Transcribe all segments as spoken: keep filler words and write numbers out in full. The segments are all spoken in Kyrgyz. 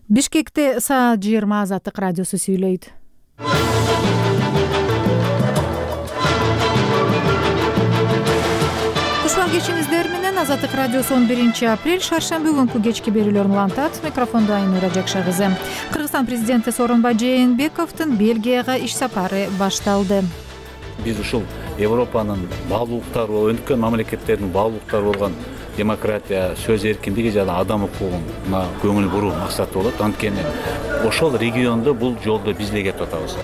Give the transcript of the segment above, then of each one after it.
Бишкекте саат жыйырма Азаттык радиосу сүйлөйт. Кушман кечиңиздер менен Азаттык радиосу он биринчи апрель шаршемби күнкү кечки берүүлөрүн улантат. Микрофондо Айнура Жакшагызы. Кыргызстан президенти Сооронбай Жээнбековдун Бельгияга иш сапары башталды. Биз ушул Европанын баалуулуктары, өнүккөн мамлекеттердин баалуулуктары болгон демократия, сөз эркиндиги жана адам укугуна көңүл буруу максаты болот. Анткени ошол региондо бул жолдо биз эле кетип атабыз.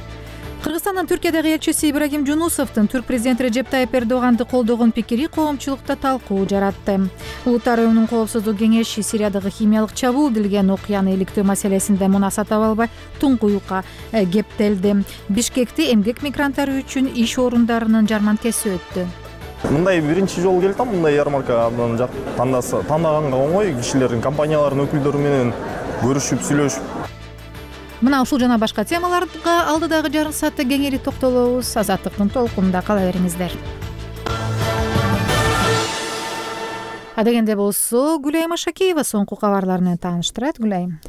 Кыргызстандын Түркиядагы элчиси Ибрагим Жунусовдун түрк президенти Режеп Тайып Эрдоганды колдогон пикири коомчулукта талкуу жаратты. Улуттар уюмунун коопсуздук кеңеши Сириядагы химиялык чабуул делген окуяны иликтөө маселесинде мунаса таба албай туңкуюкка кептелди. Бишкекте эмгек мигранттары үчүн иш орундарынын жарманкеси өттү. Мындай биринчи жолу келдим, мындай ярмарка абдан жак тандаганга оңой, кишилердин, компаниялардын өкүлдөрү менен көрүшүп, сүйлөшүп. Мына ушул жана башка темаларга алдыдагы жарым саатта кеңири токтолобуз. Азаттыктын толкунунда кала бериңиздер. Адегенде болсо Гүлайым Ашакеева соңку кабарлар менен тааныштырат. Гүлайым.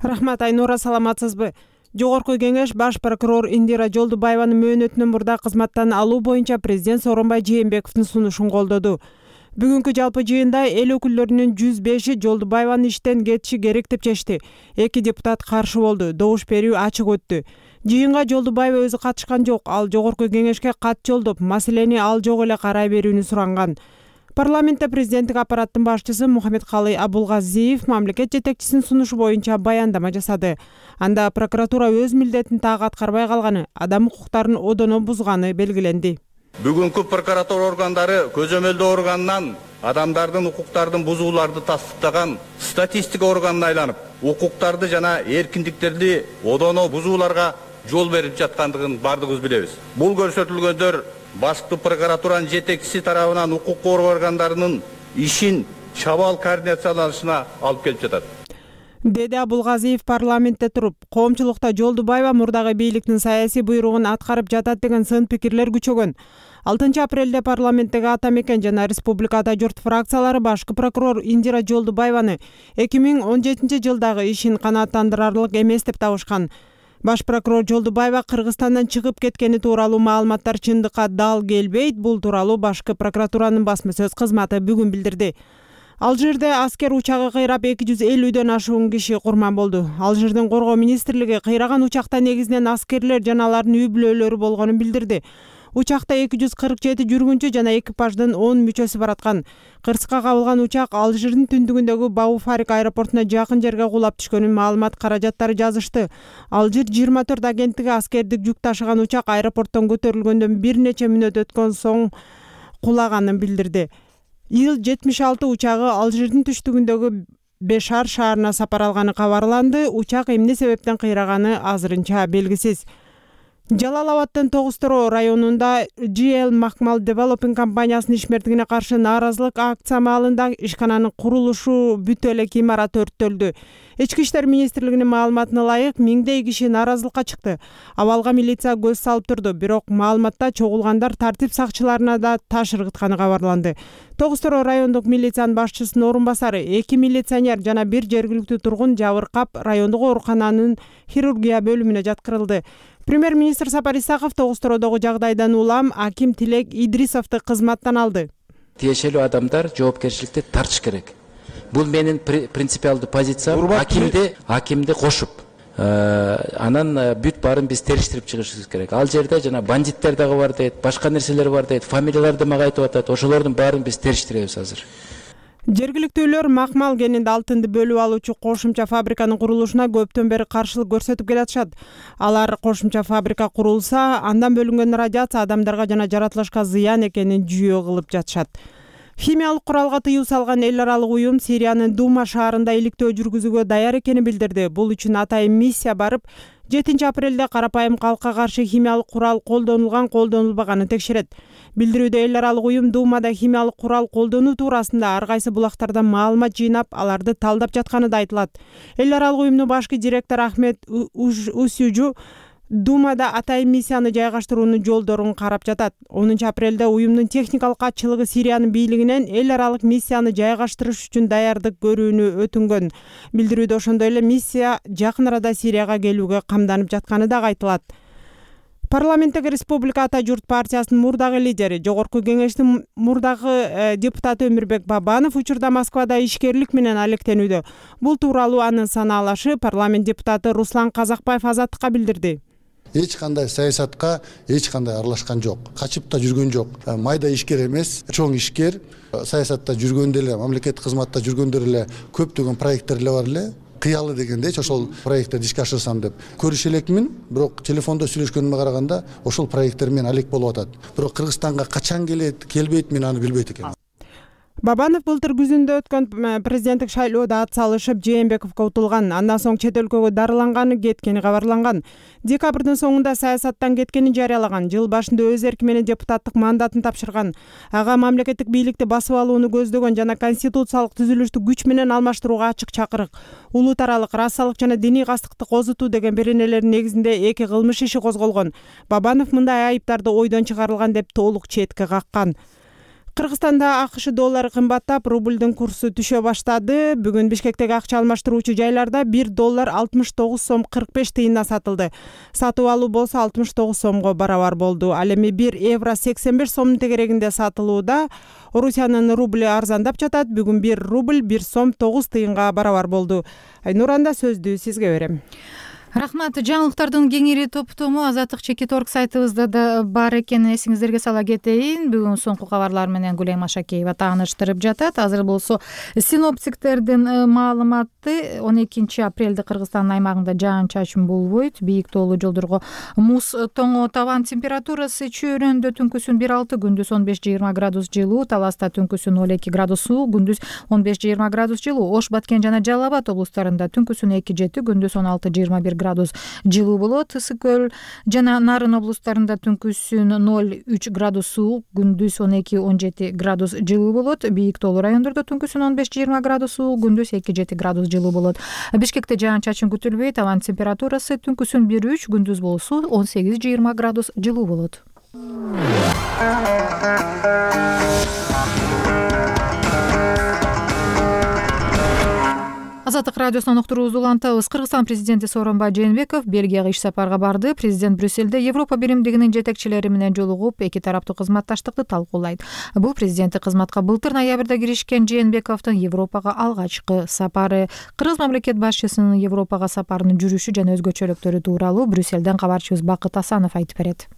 Рахмат Айнура, саламатсызбы? Жогорку кеңеш баш прокурор Индира Жолдубаеванын мөөнөтүнөн мурда кызматтан алуу боюнча президент Сооронбай Жээнбековдун сунушун колдоду. Бүгүнкү жалпы жыйында эл өкүлдөрүнүн жүз беши Жолдубаеванын иштен кетиши керек деп чечти. Эки депутат каршы болду. Добуш берүү ачык өттү. Жыйынга Жолдубаева өзү катышкан жок. Ал жогорку кеңешке кат жолдоп, маселени ал жок эле карай берүүнү суранган. Парламентте президенттик аппараттын башчысы Мухаммедкалый Абулгазиев мамлекет жетекчисинин сунушу боюнча баяндама жасады. Анда прокуратура өз милдетин так аткарбай калганы, адам укуктарын одоно бузганы белгиленди. Бүгүнкү прокуратура органдары көзөмөлдөө органынан адамдардын укуктардын бузууларды тастыктаган статистика органына айланып, укуктарды жана эркиндиктерди одоно бузууларга жол берип жаткандыгын бардыгыбыз билебиз. Бул көрсөтүлгөндөр башкы прокуратуранын жетекчиси тарабынан укук коргоо органдарынын ишин чабаал координацияланышына алып келип жатат. Деди Абулгазиев парламентте туруп, коомчулукта Жолдубаева мурдагы бийликтин саясий буйругун аткарып жатат деген сын пикирлер күчөгөн. алтынчы апрелде парламенттеги Ата Мекен жана Республика Ата Журт фракциялары башкы прокурор Индира Жолдубаеваны эки миң он жетинчи жылдагы ишин канааттандырарлык эмес деп табышкан. Баш прокурор Жолдубаева Кыргызстандан чыгып кеткени тууралуу маалыматтар чындыкка дал келбейт. Бул тууралуу башкы прокуратуранын басма сөз кызматы бүгүн билдирди. Алжирде аскер учагы кыйрап эки жүз элүүдөн ашуун киши курман болду. Алжирдин коргоо министрлиги кыйраган учакта негизинен аскерлер жана алардын үй бүлөлөрү болгонун билдирди. Учакта эки жүз кырк жети жүргүнчү жана экипаждын он мүчөсү бараткан. Кырсыкка кабылган учак Алжирдин түндүгүндөгү Бауфарик аэропортуна жакын жерге кулап түшкөнүн маалымат каражаттары жазышты. Алжир жыйырма төрт агенттиги аскердик жүк ташыган учак аэропорттон көтөрүлгөндөн бир нече мүнөт өткөн соң кулаганын билдирди. Ил жетимиш алты учагы Алжирдин түштүгүндөгү Бешар шаарына сапар алганы кабарланды. Учак эмне себептен кыйраганы азырынча белгисиз. Жалал Абадтын Тогуз-Тороо районунда Джи Эл Макмал Developing компаниясынын ишмердигине каршы нааразылык акция маалында ишкананын курулушу бүтө элек имарат өрттөлдү. Ички иштер министрлигинин маалыматына ылайык, миңдей киши нааразылыкка чыкты. Абалга милиция көз салып турду, бирок маалыматта чогулгандар тартип сакчыларына да таш ыргытканы кабарланды. Тогуз-Тороо райондук милициянын башчысынын орун басары, эки милиционер жана бир жергиликтүү тургун жабыркап, райондук оорукананын хирургия бөлүмүнө жаткырылды. Премьер-министр Сапар Исаков Тогуз-Тороодогу жагдайдан улам аким Тилек Идрисовду кызматтан алды. Тиешелүү адамдар жоопкерчиликти тартыш керек. Бул менин принципиалдуу позициям. Акимди акимди кошуп, анан бүт баарын биз териштирип чыгышыбыз керек. Ал жерде жана бандиттер дагы бар дейт, башка нерселер бар дейт, фамилияларды мага айтып атат. Ошолордун баарын биз териштиребиз азыр. Жергиликтүүлөр Макмал кенинде алтынды бөлүп алуучу кошумча фабриканын курулушуна көптөн бери каршылык көрсөтүп келатышат. Алар кошумча фабрика курулса, андан бөлүнгөн радиация адамдарга жана жаратылышка зыян экенин жүйө кылып жатышат. Химиялык куралга тыюу салган эл аралык уюм Сириянын Дума шаарында иликтөө жүргүзүүгө даяр экенин билдирди. Бул үчүн атайын миссия барып, жетинчи апрелде карапайым калкка каршы химиялык курал колдонулган, колдонулбаганын текшерет. Билдирүүдө эл аралык уюм Думада химиялык курал колдонуу туурасында ар кайсы булактардан маалымат жыйнап, аларды талдап жатканы да айтылат. Эл аралык уюмдун башкы директору Ахмет Усюжу Думада атайын миссияны жайгаштыруунун жолдорун карап жатат. онунчу апрелде уюмдун техникалык катчылыгы Сириянын бийлигинен эл аралык миссияны жайгаштырыш үчүн даярдык көрүүнү өтүнгөн. Билдирүүдө ошондой эле миссия жакын арада Сирияга келүүгө камданып жатканы дагы айтылат. Парламенттеги Республика Ата журт партиясынын мурдагы лидери, Жогорку кеңештин мурдагы депутаты Өмүрбек Бабанов учурда Москвада ишкерлик менен алектенүүдө. Бул тууралуу анын санаалашы парламент депутаты Руслан Казакбаев Азаттыкка билдирди. Эч кандай саясатка эч кандай аралашкан жок. Качып да жүргөн жок. Майда ишкер эмес, чоң ишкер. Саясатта жүргөндө эле, мамлекеттик кызматта жүргөндө эле көптөгөн проекттер эле бар эле. Кыялы дегендейчи ошол проекттерди ишке ашырсам деп көрүшө элекмин, бирок телефондо сүйлөшкөнүмө караганда ошол проекттер менен алек болуп атат. Бирок Кыргызстанга качан келет, келбейт, мен аны билбейт экенмин. Бабанов былтыр күзүндө өткөн президенттик шайлоодо ат салышып Жээнбековго утулган, андан соң чет өлкөгө дарыланганы, кеткени кабарланган. Декабрдын соңунда саясаттан кеткенин жарыялаган, жыл башында өз эрки менен депутаттык мандатын тапшырган. Ага мамлекеттик бийликти басып алууну көздөгөн жана конституциялык түзүлүштү күч менен алмаштырууга ачык чакырык. Улут аралык расалык жана диний кастыкты козутуу деген беренелердин негизинде эки кылмыш иши козголгон. Бабанов мындай айыптарды ойдон чыгарылган деп толук четке каккан. Кыргызстанда АКШ доллары кымбаттап, рубльдин курсу түшө баштады. Бүгүн Бишкектеги акча алмаштыруучу жайларда бир доллар алтымыш тогуз сом кырк беш тыйындан сатылды. Сатып алуу болсо алтымыш тогуз сомго барабар болду. Ал эми бир евро сексен беш сомдун тегерегинде сатылууда. Орусиянын рубль арзандап жатат. Бүгүн бир рубль бир сом тогуз тыйынга барабар болду. Айнуранда сөздү сизге берем. Рахмат. Жаңылыктардын кеңири топтому Азаттык чекит орг сайтыбызда да бар экенин эсиңиздерге сала кетейин. Бүгүн соңку кабарлар менен Гүлем Машакеева тааныштырып жатат. Азыр болсо синоптиктердин маалыматы он экинчи апрелде Кыргызстандын аймагында жаан-чачын болбойт. Бийик тоолуу жолдорго муз тоңо табан температурасы чөйрөндө түнкүсүн бир алты, күндүз он беш жыйырма градус жылуу, Таласта түнкүсүн ноль эки градус суу, күндүз он беш жыйырма градус жылуу, Ош, Баткен жана Жалал Абад облустарында түнкүсүн эки жети, күндүз он алты жыйырма бир градус жылуу болот. Ысык көл жана Нарын облустарында түнкүсүн ноль үч градус суук, күндүз он эки он жети градус жылуу болот. Бийик тоолуу райондордо түнкүсүн он беш жыйырма градус суук, күндүз эки жети градус жылуу болот. Бишкекте жаан-чачын күтүлбөйт. Абан температурасы түнкүсүн бир үч, күндүз болсо он сегиз жыйырма градус жылуу болот. Азаттык радиосунан уктуруубузду улантабыз. Кыргызстан президенти Сооронбай Жээнбеков Бельгияга иш сапарга барды. Президент Брюссельде Европа биримдигинин жетекчилери менен жолугуп, эки тараптуу кызматташтыкты талкуулайт. Бул президенттик кызматка былтыр ноябрда киришкен Жээнбековдун Европага алгачкы сапары. Кыргыз мамлекет башчысынын Европага сапарынын жүрүшү жана өзгөчөлүктөрү тууралуу Брюссельден кабарчыбыз Бакыт Асанов айтып берет.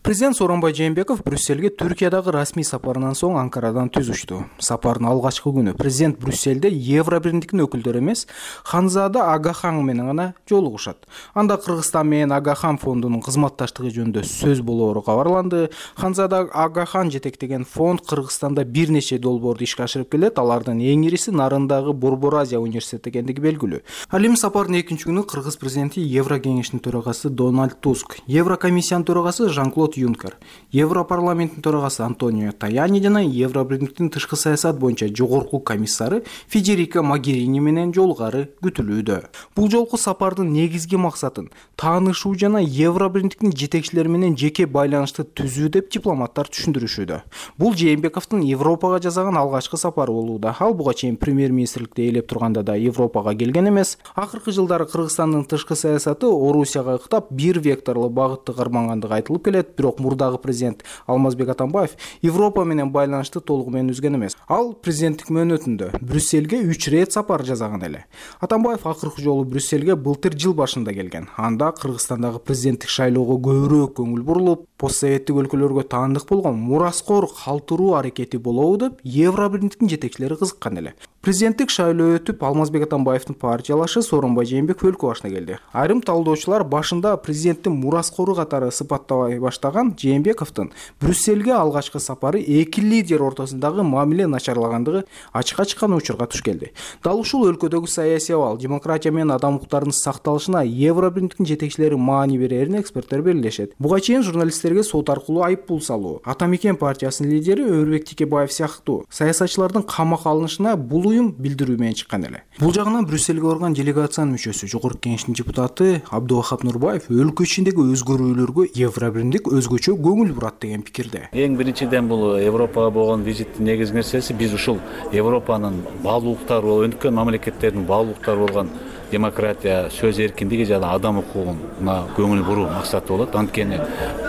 Президент Сооронбай Жээнбеков Брюссельге Түркиядагы расмий сапарынан соң Анкарадан түз учту. Сапардын алгачкы күнү президент Брюссельде Евро биримдиктин өкүлдөрү эмес, Ханзада Агахан менен гана жолугушат. Анда Кыргызстан менен Агахан фондунун кызматташтыгы жөнүндө сөз болоору кабарланды. Ханзада Агахан жетектеген фонд Кыргызстанда бир нече долбоорду ишке ашырып келет. Алардын эң ириси Нарындагы Борбор Азия университети экендиги белгилүү. Ал эми сапардын экинчи күнү Кыргыз президенти Евро кеңешинин төрагасы Дональд Туск, Евро комиссиянын төрагасы Жан-Клод Юнкер, Европарламенттин төрагасы Антонио Таяни жана Евро биримдиктин тышкы саясат боюнча жогорку комиссары Федерика Могерини менен жолугары күтүлүүдө. Бул жолку сапардын негизги максатын таанышуу жана Евро биримдиктин жетекчилери менен жеке байланышты түзүү деп дипломаттар түшүндүрүшүүдө. Бул Жээнбековдун Европага жасаган алгачкы сапары болууда. Ал буга чейин премьер-министрликте ээлеп турганда да Европага келген эмес. Акыркы жылдары Кыргызстандын тышкы саясаты Орусияга ыктап бир векторлуу багытты кармангандыгы айтылып келет. Бирок мурдагы президент Алмазбек Атамбаев Европа менен байланышты толугу менен үзгөн эмес. Ал президенттик мөөнөтүндө Брюссельге үч рет сапар жасаган эле. Атамбаев акыркы жолу Брюссельге былтыр жыл башында келген. Анда Кыргызстандагы президенттик шайлоого көбүрөөк көңүл бурулуп, постсоветтик өлкөлөргө таандык болгон мураскор калтыруу аракети болобу деп Евро биримдиктин жетекчилери кызыккан эле. Президенттик шайлоо өтүп, Алмазбек Атамбаевдин партиялашы Сооронбай Жээнбеков өлкө башына келди. Айрым талдоочулар башында президенттин мураскору катары сыпаттабай баштаган Жээнбековдун Брюссельге алгачкы сапары эки лидер ортосундагы мамиле начарлагандыгы ачыкка чыккан учурга туш келди. Дал ушул өлкөдөгү саясий абал, демократия менен адам укуктарынын сакталышына Евро биримдиктин жетекчилери маани берерин эксперттер белгилешет. Буга чейин журналисттерге сот аркылуу айып пул салуу, Ата Мекен партиясынын лидери Өрбек Текебаев сыяктуу саясатчылардын камакка алынышына бул уюм билдирүү менен чыккан эле. Бул жагынан Брюссельге барган делегациянын мүчөсү, жогорку кеңештин депутаты Абдувахап Нурбаев өлкө ичиндеги өзгөрүүлөргө Евробиримдик өзгөчө көңүл бурат деген пикирде. Эң биринчиден бул Европага болгон визиттин негизги нерсеси биз ушул Европанын баалуулуктары, өнүккөн мамлекеттердин баалуулуктары болгон демократия, сөз эркиндиги жана адам укугуна көңүл буруу максаты болот. Анткени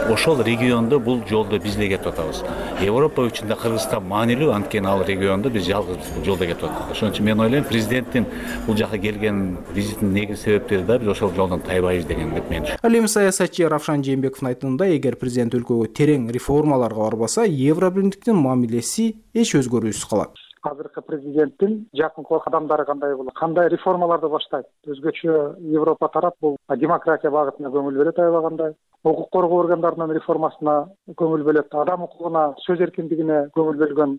ошол региондо бул жолдо биз эле кетип атабыз. Европа үчүн да Кыргызстан маанилүү, анткени ал региондо биз жалгыз бул жолдо кетип атабыз. Ошон үчүн мен ойлойм, президенттин бул жака келген визитинин негизги себептери да биз ошол жолдон тайбайбыз деген деп мен düşünөм. Ал эми саясатчы Равшан Жээнбековдун айтымында, эгер президент өлкөгө терең реформаларга барбаса, Евробиримдиктин мамилеси эч өзгөрүүсүз калат. Азыркы президенттин жакынкы кадамдары кандай болот, кандай реформаларды баштайт? Өзгөчө Европа тарап бул демократия багытына көңүл бөлөт аябагандай, укук коргоо органдарынын реформасына көңүл бөлөт, адам укугуна, сөз эркиндигине көңүл бөлгөн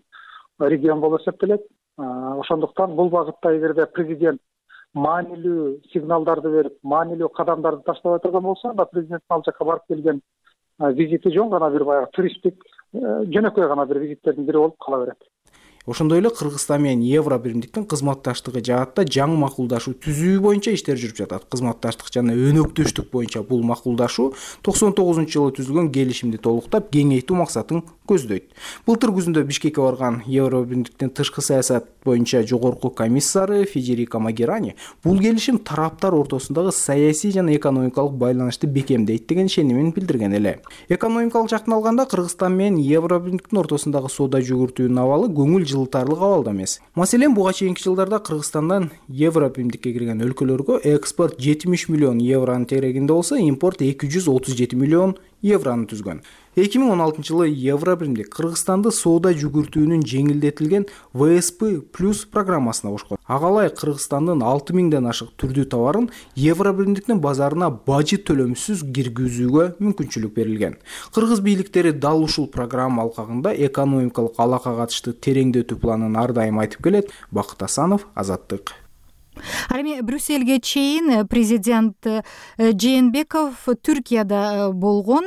регион болуп эсептелет. Ошондуктан бул багытта эгерде президент маанилүү сигналдарды берип, маанилүү кадамдарды таштабай турган болсо, анда президенттин ал жака барып келген визити жөн гана бир баягы туристтик, жөнөкөй гана бир визиттердин бири болуп кала берет. Ошондой эле Кыргызстан менен Евробиримдиктин кызматташтыгы жаатта жаңы макулдашуу түзүү боюнча иштер жүрүп жатат. Кызматташтык жана өнөктөштүк боюнча бул макулдашуу токсон тогузунчу жылы түзүлгөн келишимди толуктап, кеңейтүү максатын көздөйт. Былтыр күзүндө Бишкекке барган Евробиримдиктин тышкы саясат боюнча жогорку комиссары Федерико Магерани бул келишим тараптар ортосундагы саясий жана экономикалык байланышты бекемдейт деген ишенимин билдирген эле. Экономикалык жактан алганда Кыргызстан менен Евробиримдиктин ортосундагы соода жүгүртүүнүн абалы көңүл жылытарлык абалда эмес. Маселен, буга чейинки жылдарда Кыргызстандан Евробиримдикке кирген өлкөлөргө экспорт жетимиш миллион евронун терегинде болсо, импорт эки жүз отуз жети миллион еврону түзгөн. эки миң он алтынчы жылы Евробиримдик Кыргызстанды соода жүгүртүүнүн жеңилдетилген вэ эс пэ плюс программасына кошкон. Ага ылайык Кыргызстандын алты миңден ашык түрдүү товарын Евробиримдиктин базарына бажы төлөмсүз киргизүүгө мүмкүнчүлүк берилген. Кыргыз бийликтери дал ушул программа алкагында экономикалык алака катышты тереңдетүү планын ар дайым айтып келет. Бакыт Асанов, Азаттык. Ал эми Брюссельге чейин президент Жээнбеков Түркияда болгон.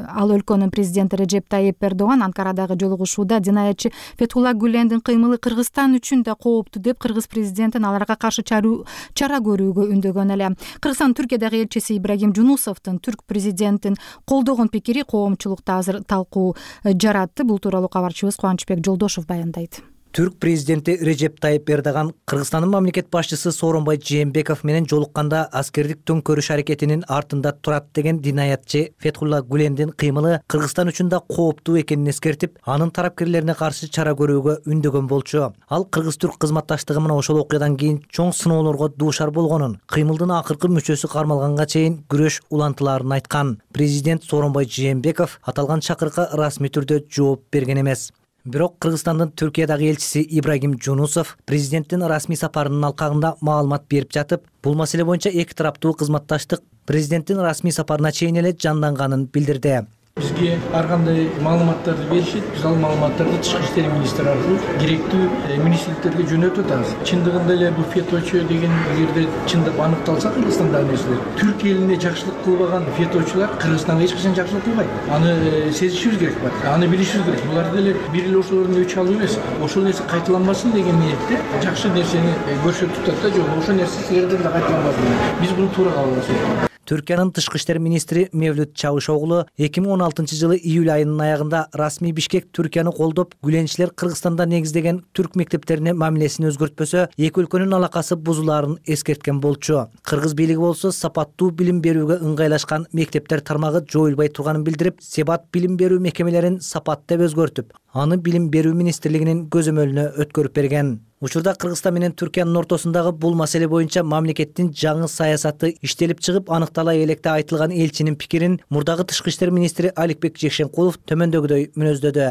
Ал өлкөнүн президенти Режеп Тайип Эрдоган Анкарадагы жолугушууда динаятчы Фетхулла Гүлендин кыймылы Кыргызстан үчүн да кооптуу деп кыргыз президентин аларга каршы чара көрүүгө үндөгөн эле. Кыргызстан Түркиядагы элчиси Ибрагим Жунусовдун түрк президентин колдогон пикири коомчулукта азыр талкуу жаратты. Бул тууралуу кабарчыбыз Кубанычбек Жолдошов баяндайт. Түрк президенти Режеп Тайип Эрдоган Кыргызстандын мамлекет башчысы Сооронбай Жээнбеков менен жолукканда аскердик төңкөрүш аракетинин артында турат деген динаятчы Фетхулла Гүлендин кыймылы Кыргызстан үчүн да кооптуу экенин эскертип, анын тарапкерлерине каршы чара көрүүгө үндөгөн болчу. Ал кыргыз-түрк кызматташтыгы менен ошол окуядан кийин чоң сыноолорго дуушар болгонун, кыймылдын акыркы мүчөсү кармалганга чейин күрөш улантылаарын айткан. Президент Сооронбай Жээнбеков аталган чакырыкка расмий түрдө жооп берген эмес. Бирок Кыргызстандын Түркиядагы элчиси Ибрагим Жунусов президенттин расмий сапарынын алкагында маалымат берип жатып, бул маселе боюнча эки тараптуу кызматташтык президенттин расмий сапарына чейин эле жанданганын билдирди. Бизге ар кандай маалыматтарды беришет, биз ал маалыматтарды Тышкы иштер министри аркылуу керектүү министрликтерге жөнөтүп атабыз. Чындыгында эле бул феточу деген эгерде чындап аныкталса Кыргызстандагы нерселер, Түрк элине жакшылык кылбаган феточулар Кыргызстанга эч качан жакшылык кылбайт. Аны сезишибиз керек бар. Аны билишибиз керек. Булар деле бир эле ошолордун өч алуу эмес. Ошол нерсе кайталанбасын деген ниетте жакшы нерсени көрсөтүп атат да, жок, ошол нерсе силерден да кайталанбасын. Биз буну туура кабыл алабыз. Түркиянын тышкы иштер министри Мевлют Чавушоглу эки миң он алтынчы жылы июль айынын аягында расмий Бишкек Түркияны колдоп, гүленчилер Кыргызстанда негиздеген түрк мектептерине мамилесин өзгөртпөсө, эки өлкөнүн алакасы бузулаарын эскерткен болчу. Кыргыз бийлиги болсо сапаттуу билим берүүгө ыңгайлашкан мектептер тармагы жоюлбай турганын билдирип, Себат билим берүү мекемелерин сапат деп өзгөртүп, аны билим берүү министрлигинин көзөмөлүнө өткөрүп берген. Учурда Кыргызстан менен Түркиянын ортосундагы бул маселе боюнча мамлекеттин жаңы саясаты иштелип чыгып, аныктала электе айтылган элчинин пикирин мурдагы тышкы иштер министри Аликбек Жекшенкулов төмөндөгүдөй мүнөздөдү.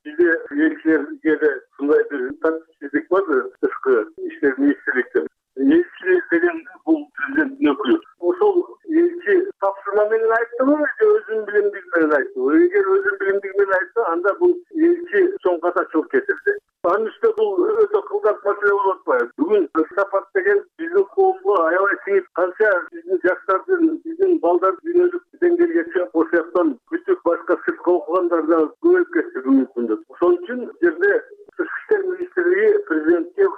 Бизде элчилерге да ушундай бир тартипсиздик бар тышкы иштер министрликтен. Элчи деген бул президенттин өкүлү. Ошол элчи тапшырма менен айттыбы же өзүнүн билимдиги менен айттыбы? Эгер өзүнүн билимдиги менен айтса, анда бул элчи чоң катачылык кетирди. Анын үстүнө бул өтө кылдак маселе болуп атпайбы? Бүгүн сапат деген биздин коомго аябай сиңип, канча биздин жаштардын, биздин балдар дүйнөлүк деңгээлге чыгып, ошол жактан бүтүп башка сыртка окугандар да көбөйүп кетти бүгүнкү күндө. Ошон үчүн жерде тышкы иштер министрлиги президентке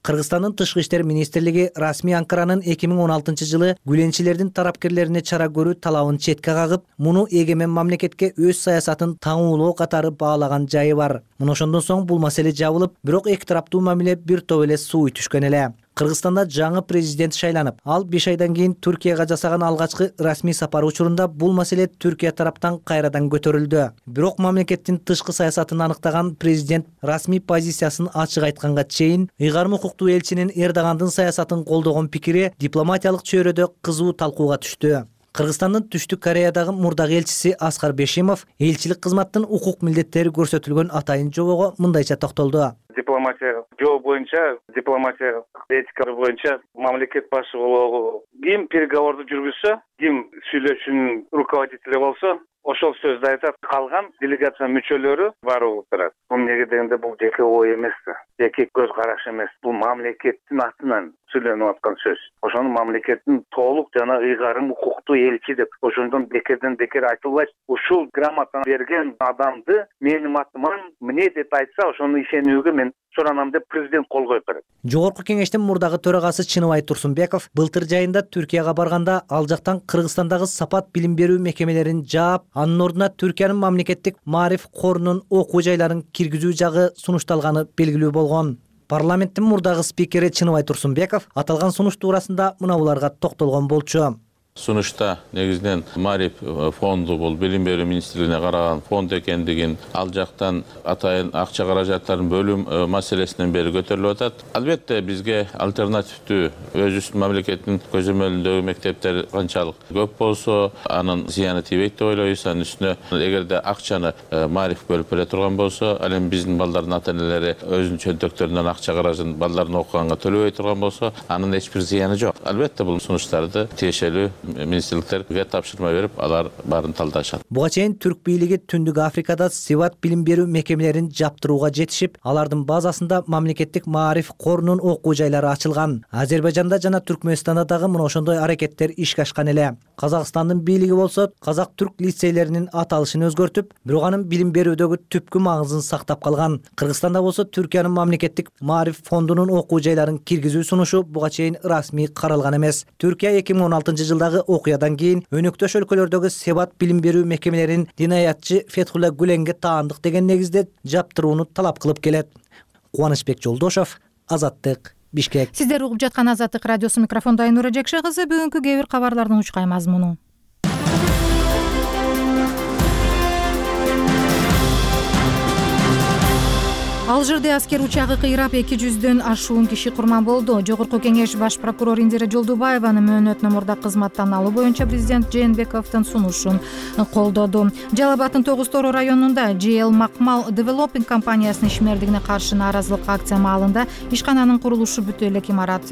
Кыргызстандын тышкы иштер министрлиги расмий Анкаранын эки миң он алтынчы жылы гүленчилердин тарапкерлерине чара көрүү талабын четке кагып, муну эгемен мамлекетке өз саясатын таңуулоо катары баалаган жайы бар. Мына ошондон соң бул маселе жабылып, бирок эки тараптуу мамиле бир топ эле сууй түшкөн эле. Кыргызстанда жаңы президент шайланып, ал беш айдан кийин Түркияга жасаган алгачкы расмий сапары учурунда бул маселе Түркия тараптан кайрадан көтөрүлдү. Бирок мамлекеттин тышкы саясатын аныктаган президент расмий позициясын ачык айтканга чейин ыйгарым укуктуу элчинин Эрдогандын саясатын колдогон пикири дипломатиялык чөйрөдө кызуу талкууга түштү. Кыргызстандын Түштүк Кореядагы мурдагы элчиси Аскар Бешимов элчилик кызматтын укук милдеттери көрсөтүлгөн атайын жобого мындайча токтолду. Дипломатия жол боюнча, дипломатия этика боюнча мамлекет башы болобу, ким переговорду жүргүзсө, ким сүйлөшүүнүн руководители болсо, ошол сөздү айтат. Калган делегация мүчөлөрү барып отурат. Бул неге дегенде бул жеке ой эмес да, жеке көз караш эмес. Бул мамлекеттин атынан сүйлөнүп аткан сөз. Ошону мамлекеттин толук жана ыйгарым укуктуу элчи деп ошондон бекерден бекер айтылбайт. Ушул грамотаны берген адамды менин атыман эмне деп айтса, ошону ишенүүгө мен суранам деп президент кол коюп берет. Жогорку кеңештин мурдагы төрагасы Чыныбай Турсунбеков былтыр жайында Түркияга барганда ал жактан Кыргызстандагы сапат билим берүү мекемелерин жаап, анын ордуна Түркиянын мамлекеттик Маариф корунун окуу жайларын киргизүү жагы сунушталганы белгилүү болгон. Парламенттин мурдагы спикери Чыныбай Турсунбеков аталган сунуш туурасында мына буларга токтолгон болчу. Сунушта негизинен Маариф фонду бул билим берүү министрлигине караган фонд экендигин, ал жактан атайын акча каражаттарын бөлүү маселесинен бери көтөрүлүп атат. Албетте бизге альтернативдүү өзүбүздүн мамлекеттин көзөмөлүндөгү мектептер канчалык көп болсо, анын зыяны тийбейт деп ойлойбуз. Анын үстүнө эгерде акчаны Маариф бөлүп бере турган болсо, ал эми биздин балдардын ата-энелери өзүнүн чөнтөктөрүнөн акча каражын балдарын окуганга төлөбөй турган болсо, анын эч бир зыяны жок. Албетте бул сунуштарды тиешелүү министрликтерге тапшырма берип, алар баарын талдашат. Буга чейин түрк бийлиги Түндүк Африкада севат билим берүү мекемелерин жаптырууга жетишип, алардын базасында мамлекеттик Маариф корунун окуу жайлары ачылган. Азербайжанда жана Түркмөнстанда дагы мына ошондой аракеттер ишке ашкан эле. Казакстандын бийлиги болсо, казак-түрк лицейлеринин аталышын өзгөртүп, бирок анын билим берүүдөгү түпкү маңызын сактап калган. Кыргызстанда болсо, Түркиянын мамлекеттик Маариф фондунун окуу жайларын киргизүү сунушу буга чейин расмий каралган эмес. Түркия эки миң он алтынчы жылдагы окуядан кийин өнөктөш өлкөлөрдөгү севат билим берүү мекемелерин динаятчы Фетхулла Гүленге таандык деген негизде жаптырууну талап кылып келет. Кубанычбек Жолдошов, Азаттык, Бишкек. Сиздер угуп жаткан Азаттык радиосу, микрофондо Айнура Жекше кызы. Бүгүнкү кээ бир кабарлардын учкай мазмуну. Алжирде аскер учагы кыйрап эки жүздөн ашуун киши курман болду. Жогорку кеңеш баш прокурор Индира Жолдубаеванын мөөнөтүнө мурда кызматтан алуу боюнча президент Жээнбековдун сунушун колдоду. Жалал Абадтын тогуз Тороо районунда Джи Эл Макмал Девелопинг компаниясынын ишмердигине каршы нааразылык акция маалында ишкананын курулушу бүтө элек имарат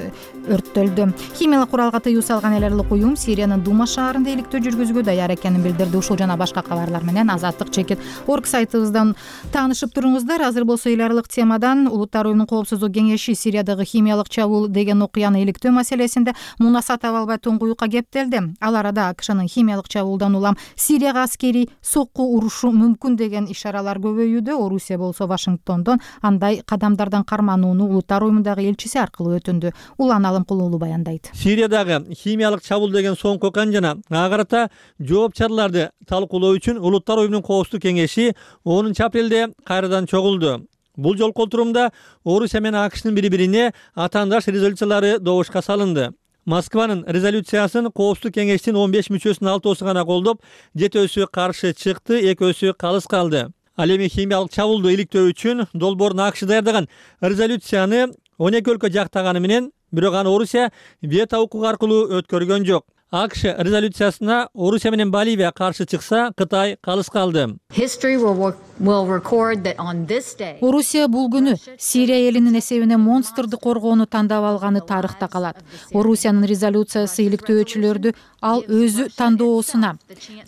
өрттөлдү. Химиялык куралга тыюу салган элерлик уюм Сириянын Дума шаарында иликтөө жүргүзүүгө даяр экенин билдирди. Ушул жана башка кабарлар менен Азаттык чекит орг сайтыбыздан таанышып туруңуздар. Азыр болсо ылдырлык темадан Улуттар уюмунун коопсуздук кеңеши Сириядагы химиялык чабуул деген окуяны иликтөө маселесинде мунаса таба албай туңгуюкка кептелди. Ал арада АКШнын химиялык чабуулдан улам Сирияга аскерий сокку урушу мүмкүн деген ишаралар көбөйүүдө. Орусия болсо Вашингтондон андай кадамдардан карманууну Улуттар уюмундагы элчиси аркылуу өтүндү. Улан Алымкулуулу баяндайт. Сириядагы химиялык чабуул деген соңку окуяны жана ага карата жооп чараларды талкуулоо үчүн Улуттар уюмунун коопсуздук кеңеши онунчу апрелде кайрадан чогулду. Бул жолку отурумда Орусия менен АКШнын бири-бирине атаандаш резолюциялары добушка салынды. Москванын резолюциясын коопсуздук кеңештин он беш мүчөсүнүн алтоосу гана колдоп, жетөөсү каршы чыкты, экөөсү калыс калды. Ал эми химиялык чабуулду иликтөө үчүн долбоорун АКШ даярдаган резолюцияны он эки өлкө жактаганы менен, бирок аны Орусия вето укугу аркылуу өткөргөн жок. АКШ резолюциясына Орусия менен Боливия каршы чыкса, Кытай калыс калды. Орусия бул күнү Сирия элинин эсебине монстрду коргоону тандап алганы тарыхта калат. Орусиянын резолюциясы иликтөөчүлөрдү ал өзү тандоосуна,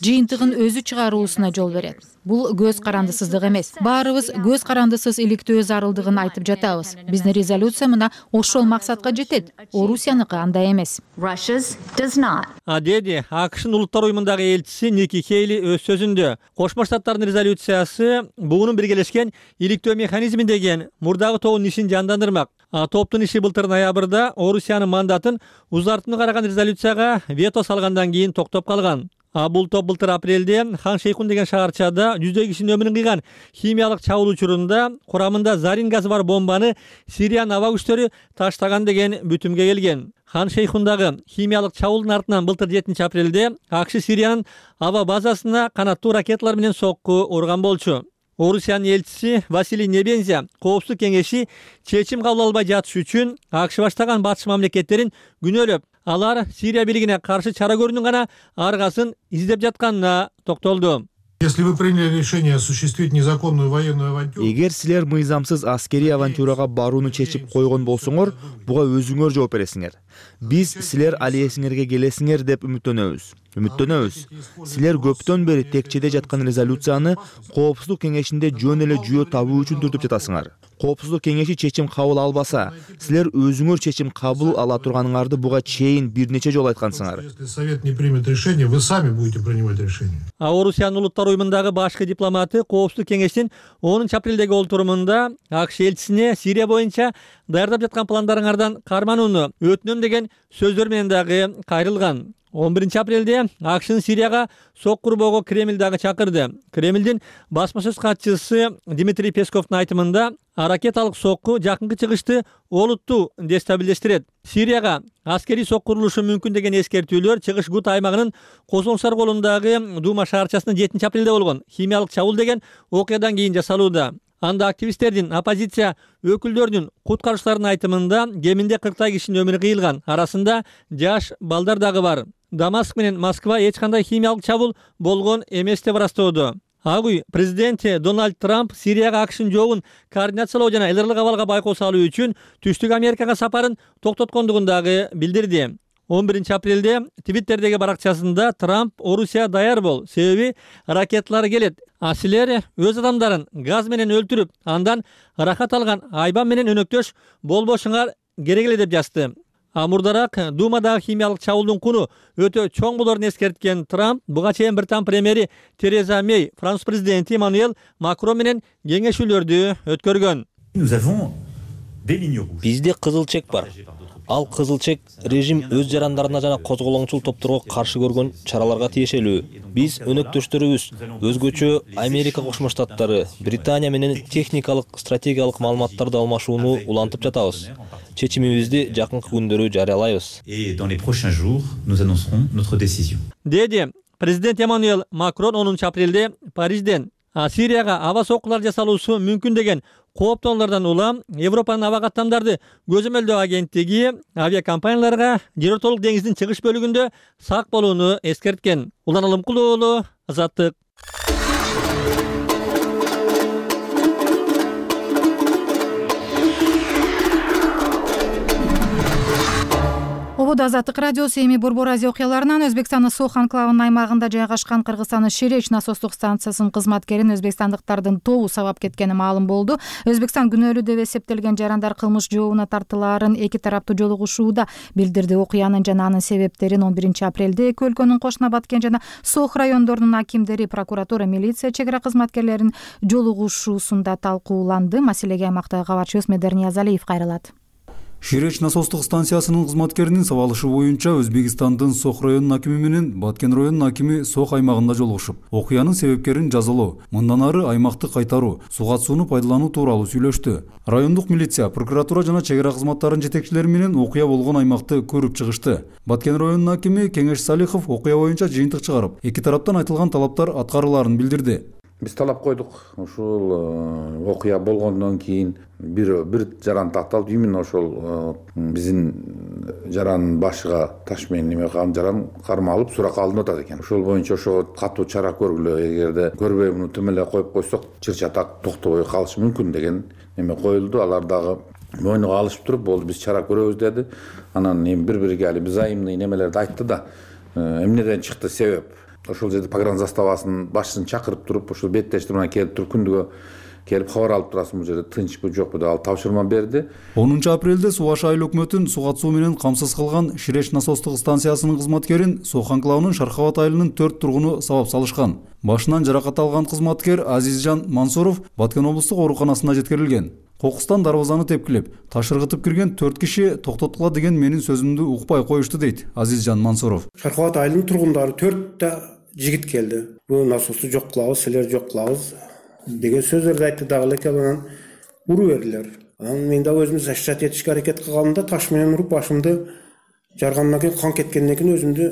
жыйынтыгын өзү чыгаруусуна жол берет. Бул көз карандысыздык эмес. Баарыбыз көз карандысыз иликтөө зарылдыгын айтып жатабыз. Биздин резолюция мына ошол максатка жетет. Орусияныкы андай эмес. А деди АКШнын Улуттар уюмундагы элчиси Ники Хейли өз сөзүндө. Кошмо Штаттардын резолюциясы буунун биргелешкен иликтөө механизми деген мурдагы тоонун ишин жандандырмак. Топтун иши былтыр ноябрда Орусиянын мандатын узартууну караган резолюцияга вето салгандан кийин токтоп калган. Бул топ былтыр апрелде Хан Шейхун деген шаарчада жүздөй кишинин өмүрүн кыйган химиялык чабуул учурунда курамында зарин газы бар бомбаны Сириянын аба күчтөрү таштаган деген бүтүмгө келген. Хан Шейхундагы химиялык чабуулдун артынан былтыр жетинчи апрелде АКШ Сириянын аба базасына канаттуу ракеталар менен сокку урган болчу. Орусиянын элчиси Василий Небензя Коопсуздук кеңеши чечим кабыл албай жатыш үчүн АКШ баштаган батыш мамлекеттерин күнөөлөп, алар Сирия бийлигине каршы чара көрүүнүн гана аргасын издеп жатканына токтолду. Если вы приняли решение осуществить незаконную военную авантюру, эгер силер мыйзамсыз аскерий авантюрага барууну чечип койгон болсоңор, буга өзүңөр жооп бересиңер. Биз силер ал эсиңерге келесиңер деп үмүттөнөбүз. Үмүттөнөбүз. Силер көптөн бери текчеде жаткан резолюцияны Коопсуздук кеңешинде жөн эле жүйө табуу үчүн түртүп жатасыңар. Коопсуздук кеңеши чечим кабыл албаса, силер өзүңөр чечим кабыл ала турганыңарды буга чейин бир нече жолу айткансыңар. Если совет не примет решение, вы сами будете принимать решение. А Орусиянын улуттар уюмундагы башкы дипломаты Коопсуздук кеңештин онунчу апрелдеги олтурумунда АКШ элчисине Сирия боюнча даярдап жаткан пландарыңардан карманууну өтүнөм деген сөздөр менен дагы кайрылган. он биринчи апрелде АКШнын Сирияга сок курбоого Кремль дагы чакырды. Кремлдин басма сөз катчысы Дмитрий Песковдун айтымында ракеталык сокку жакынкы чыгышты олуттуу дестабилдештирет. Сирияга аскерий сок курулушу мүмкүн деген эскертүүлөр чыгыш Гут аймагынын Козоңсар колундагы Дума шаарчасында жетинчи апрелде болгон химиялык чабуул деген окуядан кийин жасалууда. Анда активисттердин, оппозиция өкүлдөрүнүн, куткаруучулардын айтымында кеминде кырктай кишинин өмүрү кыйылган, арасында жаш балдар дагы бар. Дамаск менен Москва эч кандай химиялык чабуул болгон эмес деп ырастоодо. Ак үй президенти Дональд Трамп Сирияга АКШнын жообун координациялоо жана элдирлик абалга байкоо салуу үчүн Түштүк Америкага сапарын токтоткондугун дагы билдирди. он биринчи апрелде Твиттердеги баракчасында Трамп Орусия даяр бол, себеби ракеталар келет. А силер өз адамдарын газ менен өлтүрүп, андан рахат алган айбан менен өнөктөш болбошуңар керек эле деп жазды. А мурдараак Думадагы химиялык чабуулдун куну өтө чоң болорун эскерткен Трамп буга чейин Британ премьери Тереза Мей, Франц президенти Эммануэль Макрон менен кеңешүүлөрдү өткөргөн. Бизде кызыл чек бар. Ал кызыл чек режим өз жарандарына жана козголоңчул топторго каршы көргөн чараларга тиешелүү. Биз өнөктөштөрүбүз, өзгөчө Америка Кошмо Штаттары, Британия менен техникалык, стратегиялык маалыматтарды алмашууну улантып жатабыз. Чечимибизди жакынкы күндөрү жарыялайбыз. Деди президент Эммануэль Макрон онунчу апрелде Парижден Сирияга аба соккулар жасалуусу мүмкүн деген кооптоолордон улам Европанын аба каттамдарды көзөмөлдөө агенттиги авиакомпанияларга Жерортолук деңиздин чыгыш бөлүгүндө сак болууну эскерткен. Улан Алымкулуу уулу, Азаттык. Обод Азаттык радиосу эми Борбор Азия окуяларынан Өзбекстандын Сох анклавынын аймагында жайгашкан Кыргызстандын Шереч насостук станциясынын кызматкерин өзбекстандыктардын тобу сабап кеткени маалым болду. Өзбекстан күнөөлүү деп эсептелген жарандар кылмыш жообуна тартылаарын эки тараптуу жолугушууда билдирди. Окуянын жана анын себептерин он биринчи апрелде эки өлкөнүн Кошуна Баткен жана Сох райондорунун акимдери, прокуратура, милиция, чек ара кызматкерлеринин жолугушуусунда талкууланды. Маселеге аймактагы кабарчыбыз Медер Ниязалиев кайрылат. Шереч насостук станциясынын кызматкеринин сабалышы боюнча Өзбекстандын Сох районунун акими менен Баткен районунун акими Сох аймагында жолугушуп, окуянын себептерин жазылоо, мындан ары аймакты кайтаруу, сугат сууну пайдалануу тууралуу сүйлөштү. Райондук милиция, прокуратура жана чек ара кызматтарынын жетекчилери менен окуя болгон аймакты көрүп чыгышты. Баткен районунун акими Кеңеш Салихов окуя боюнча жыйынтык чыгарып, эки тараптан айтылган талаптар аткарылаарын билдирди. Биз талап койдук. Ушул окуя болгондон кийин бир бир жаран такталып, именно ошол биздин жарандын башыга таш менен неме кылган жаран кармалып суракка алынып атат экен. Ошол боюнча ошого катуу чара көргүлө, эгерде көрбөй муну тим эле коюп койсок, чыр-чатак токтобой калышы мүмкүн деген неме коюлду. Алар дагы мойнуга алышып туруп, болду биз чара көрөбүз деди. Анан эми бири-бирге али взаимный немелерди айтты да, эмнеден чыкты себеп. Ошол жерде погран заставасынын башчысын чакырып туруп, ошол беттештирип келип туруп күндүгө келип кабар алып турасың, бул жерде тынчпы жокпу деп ал тапшырма берди. онунчу апрелде Суу Баш айыл өкмөтүн суу катышуу менен камсыз кылган Ширеш насостук станциясынын кызматкерин Сох анклавынын Шархабад айылынын төрт тургуну сабап салышкан. Башынан жаракат алган кызматкер Азизжан Мансуров Баткен облустук ооруканасына жеткирилген. Кокустан дарбазаны тепкилеп, ташыргытып кирген төрт киши токтотула деген менин сөзүмдү укпай коюшту дейт Азизжан Мансуров. Шархабад айылынын тургундары төрттө жигит келди. Бул насосту жок кылабыз, силер жок кылабыз деген сөздөрдү айтты дагы элек, анан уруу бердилер. Анан мен да өзүм защищать этишке аракет кылганымда таш менен уруп башымды жаргандан кийин кан кеткенден кийин өзүмдү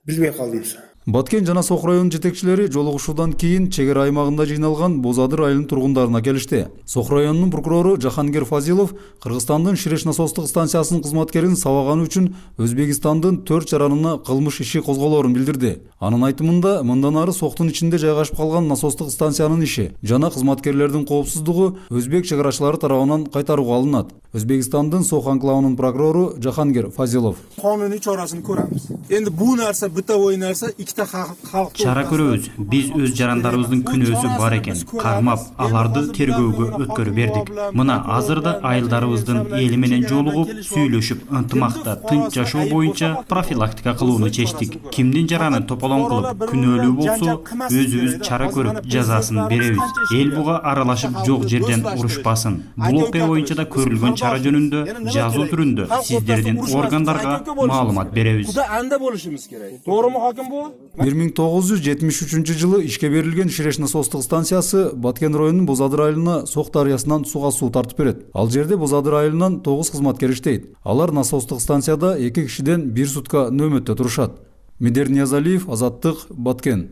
билбей калдым. Баткен жана Сох районунун жетекчилери жолугушуудан кийин чек ара аймагында жыйналган Боз Адыр айылынын тургундарына келишти. Сох районунун прокурору Жахангер Фазилов Кыргызстандын Ширеш насостук станциясынын кызматкерин сабаганы үчүн Өзбекстандын төрт жаранына кылмыш иши козголоорун билдирди. Анын айтымында мындан ары Сохтун ичинде жайгашып калган насостук станциянын иши жана кызматкерлердин коопсуздугу өзбек чек арачылары тарабынан кайтарууга алынат. Өзбекстандын Сох анклавынын прокурору Жахангер Фазилов. Кануний чарасын көрөбүз. Энди бул нерсе бытовой нерсе чара көрөбүз. Биз өз жарандарыбыздын күнөөсү бар экен кармап, аларды тергөөгө өткөрүп бердик. Мына азырда айылдарыбыздын эли менен жолугуп, сүйлөшүп, ынтымакта тынч жашоо боюнча профилактика кылууну чечтик. Кимдин жараны тополоң кылып, күнөөлүү болсо, өзүбүз чара көрүп, жазасын беребиз. Эл буга аралашып жок жерден урушпасын. Бул окуя боюнча да көрүлгөн чара жөнүндө жазуу түрүндө сиздердин органдарга маалымат беребиз. Анда болушубуз керек. Тооруму хаким бу? бир миң тогуз жүз жетимиш үчүнчү жылы ишке берилген Ширеш насостук станциясы Баткен районунун Боз Адыр айылына Сох дарыясынан сууга суу тартып берет. Ал жерде Боз Адыр айылынан тогуз кызматкер иштейт. Алар насостук станцияда эки кишиден бир сутка нөөмөттө турушат. Медер Ниязалиев, Азаттык, Баткен.